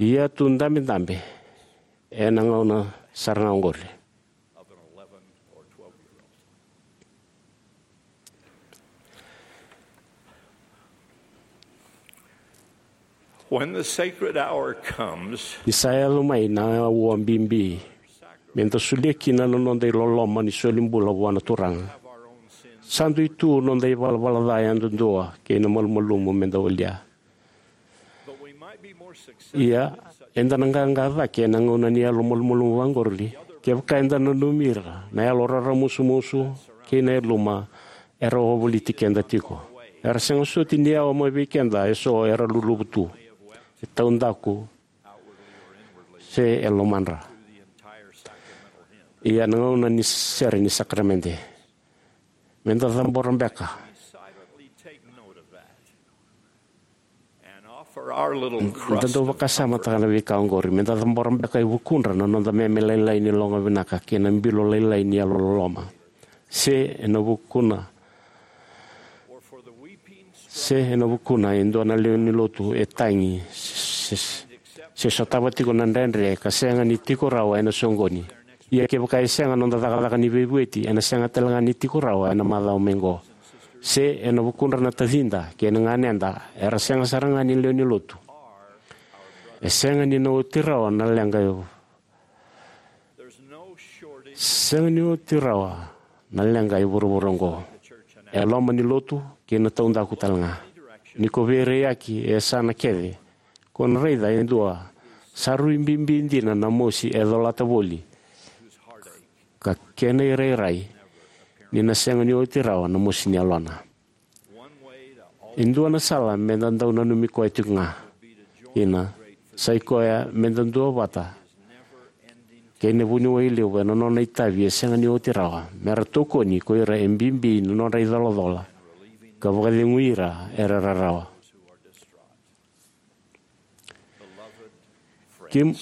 iyatu dabedabe ena gauna sara ga oqori. When the sacred hour comes, ni sa yaco mai na aua bibi me da solia kina na noda iloloma ni soli bula vua na Turaga, sa dui tu noda ivalavala ca yadudua kei na malumalumu me da walia. Ia, eda na qaqa cake ena gauna ni yalo malumalumu vaqori kevaka eda nanumi ira na yalo raramusumusu kei na yaluma era wavoliti keda tiko. Era sega soti ni yawa mai vei keda eso era luluvu tu, e taudaku, se e lomadra. Ia na gauna ni sere ni sakaramede, me da cabora beka. Da dau vakasamataka na veika oqori, me da cabora beka e vukudra na noda meme lailai ni loga vinaka kei na bilo lailai ni yalololoma. Se ena vukuna, se ena vukuna e dua na lewe ni lotu e tagi, se, se, se sotava tiko na dredre ka sega ni tiko rawa ena soqoni. Ia kevaka e sega noda cakacaka ni veivueti, ena sega tale ga ni tiko rawa ena macawa mai qo. Se ena vukudra na tacida kei na ganeda era sega sara ga ni lewe ni lotu, e sega ni na oti rawa na leqa e, sega ni oti rawa na leqa e vuravura oqo. e loma ni lotu kei na taudaku tale ga. Ni ko veiraiyaki e yasana kece, ko na raica e dua sa rui bibi dina na mosi e colata voli, ka kena irairai ni na sega ni oti rawa na mosi ni yalona. E dua na sala me da dau nanumi koya tiko ga kina, sai koya me da duavata kei na vuniwai levu ena nona itavi e sega ni oti rawa, me ra tokoni ko ira e bibi na nodra icolacola ka vakacegui ira era rarawa. Kim,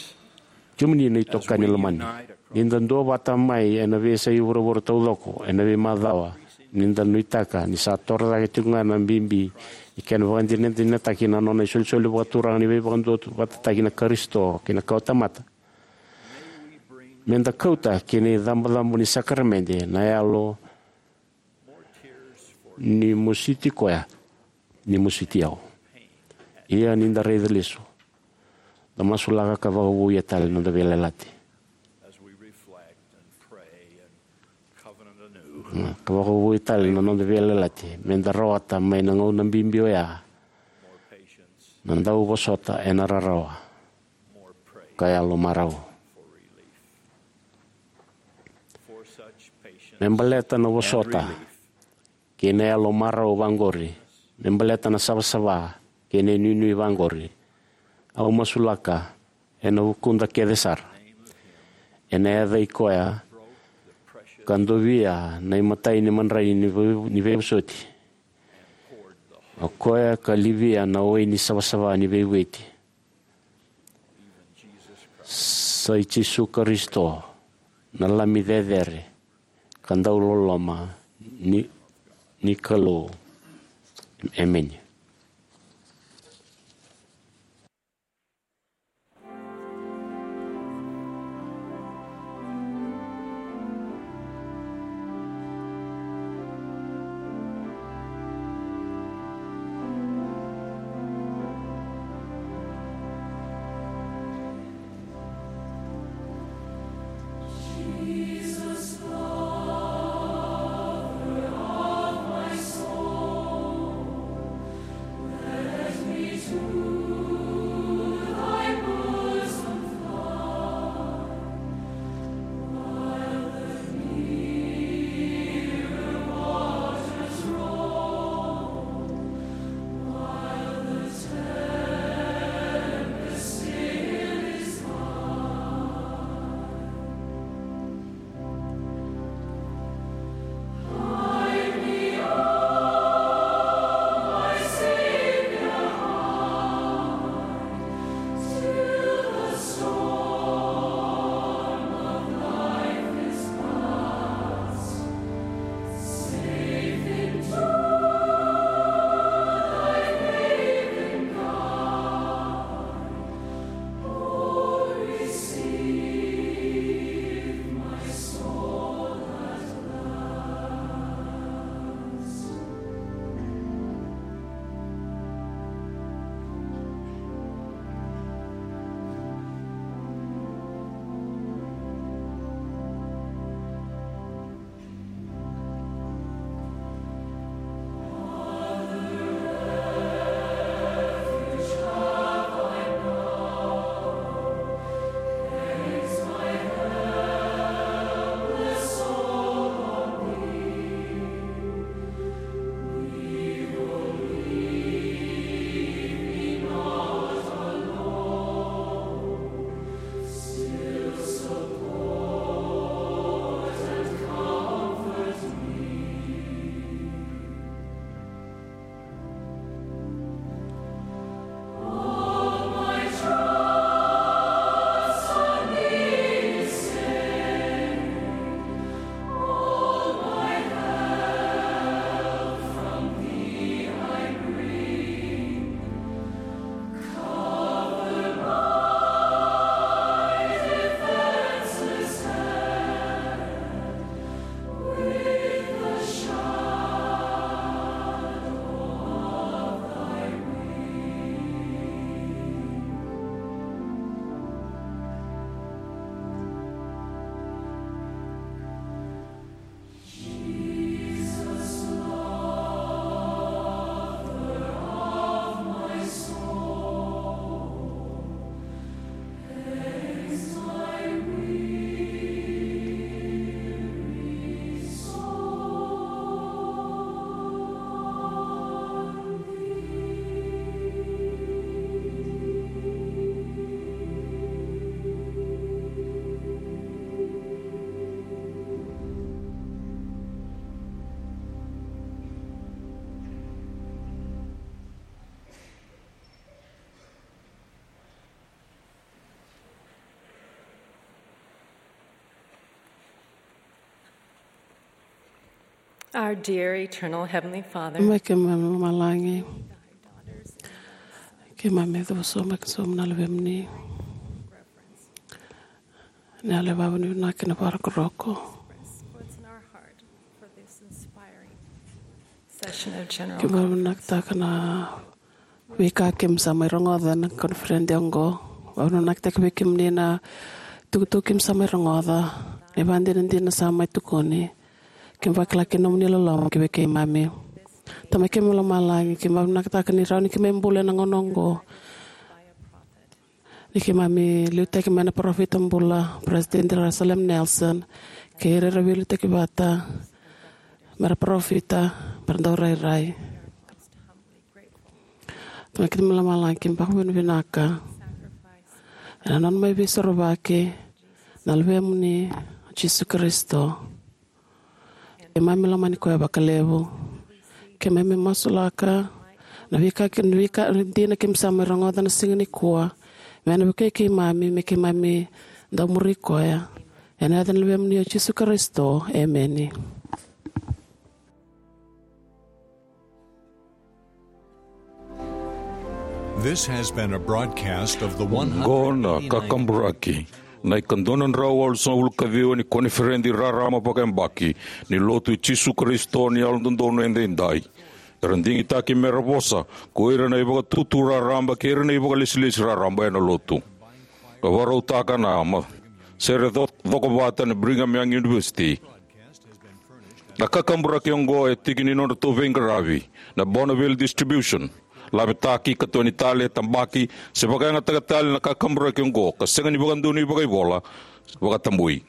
kemuni na itokani lomani, ni da duavata mai ena veiyasai vuravura taucoko ena veimacawa, ni da nuitaka ni sa toro cake tiko ga na bibi ni kena vakadinadinataki na nona isolisoli vakaturaga ni veivakaduavatataki na Karisito kei na kawatamata. Me da kauta ki na icabocabo ni sakaramede na yalo ni mositi koya, ni mositi au. Ia ni da raica lesu, da masulaka ka vakavouya tale na noda veiyalayalati. Ka vakavouya tale na noda veiyalayalati, me da rawata mai na gauna bibi oya na dauvosota ena rarawa ka yalo marau. Me baleta na vosota kei na yalo marau vaqori, me baleta na savasava kei na inuinui vaqori, au masulaka ena vukuda kece sara, ena yaca i koya ka dovia na imatai ni madrai ni vei-, ni veivosoti, o koya ka livia na wai ni savasava ni veivueti. Sa i Jisu Karisito, na Lami cecere ka dauloloma ni, ni Kalou. Emeni. Our dear eternal Heavenly Father, mai keimami lomalagi, keimami cuva sobu mai ka sobu na luvemuni. Ni yalo e vavinavinaka kei na vakarokoroko. What's in our heart for this inspiring session of general. Keimami vinakataka na veika keimami sa mai rogoca na koniferedi oqo. Vavinavinakataki vei kemuni na tukutuku keimami sa mai rogoca, na ivakadinadina sa mai tukuni. Keimami vakila kina nomuni loloma ki vei keimami. Tamai keimami lomalagi, keimami vinakataka ni rawa ni keimami bula ena gauna oqo, ni keimami liutaki mai na parofita bula, President Russell M Nelson, kei ira era veiliutaki vata, mera parofita, mera dau rairai. Tamai keimami lomalagi, keimami vakavinavinaka ena nona mai veisorovaki na luvemuni o Jisu Karisito. Keimami lomani koya vakalevu. Keimami masulaka na veika, na veika dina keimami sa mai rogoca na siga nikua, me na vukei keimami me keimami dau muri koya. Ena yaca ni luvemuni o Jisu Karisito, emeni. This has been a broadcast of the one hundred eighty-ninth. Oqo na kakaburaki na ikadua na drau walusagavulu ka ciwa ni koniferedi raraba vakayabaki ni Lotu i Jisu Karisito ni Yalododonu Edaidai. Era digitaki mera vosa ko ira na ivakatutu raraba kei ira na ivakalesilesi raraba ena Lotu. Ka vakarautaka na ma-, sere co-, cokovata na Brigham Young University. Na kakaburaki oqo e tiki ni nodratou veiqaravi na Bonneville Distribution, lavetaki, katoni tale, tabaki se vakayagataka tale na kakaburaki oqo ka sega ni vakadonui vakaivola, vakatabui.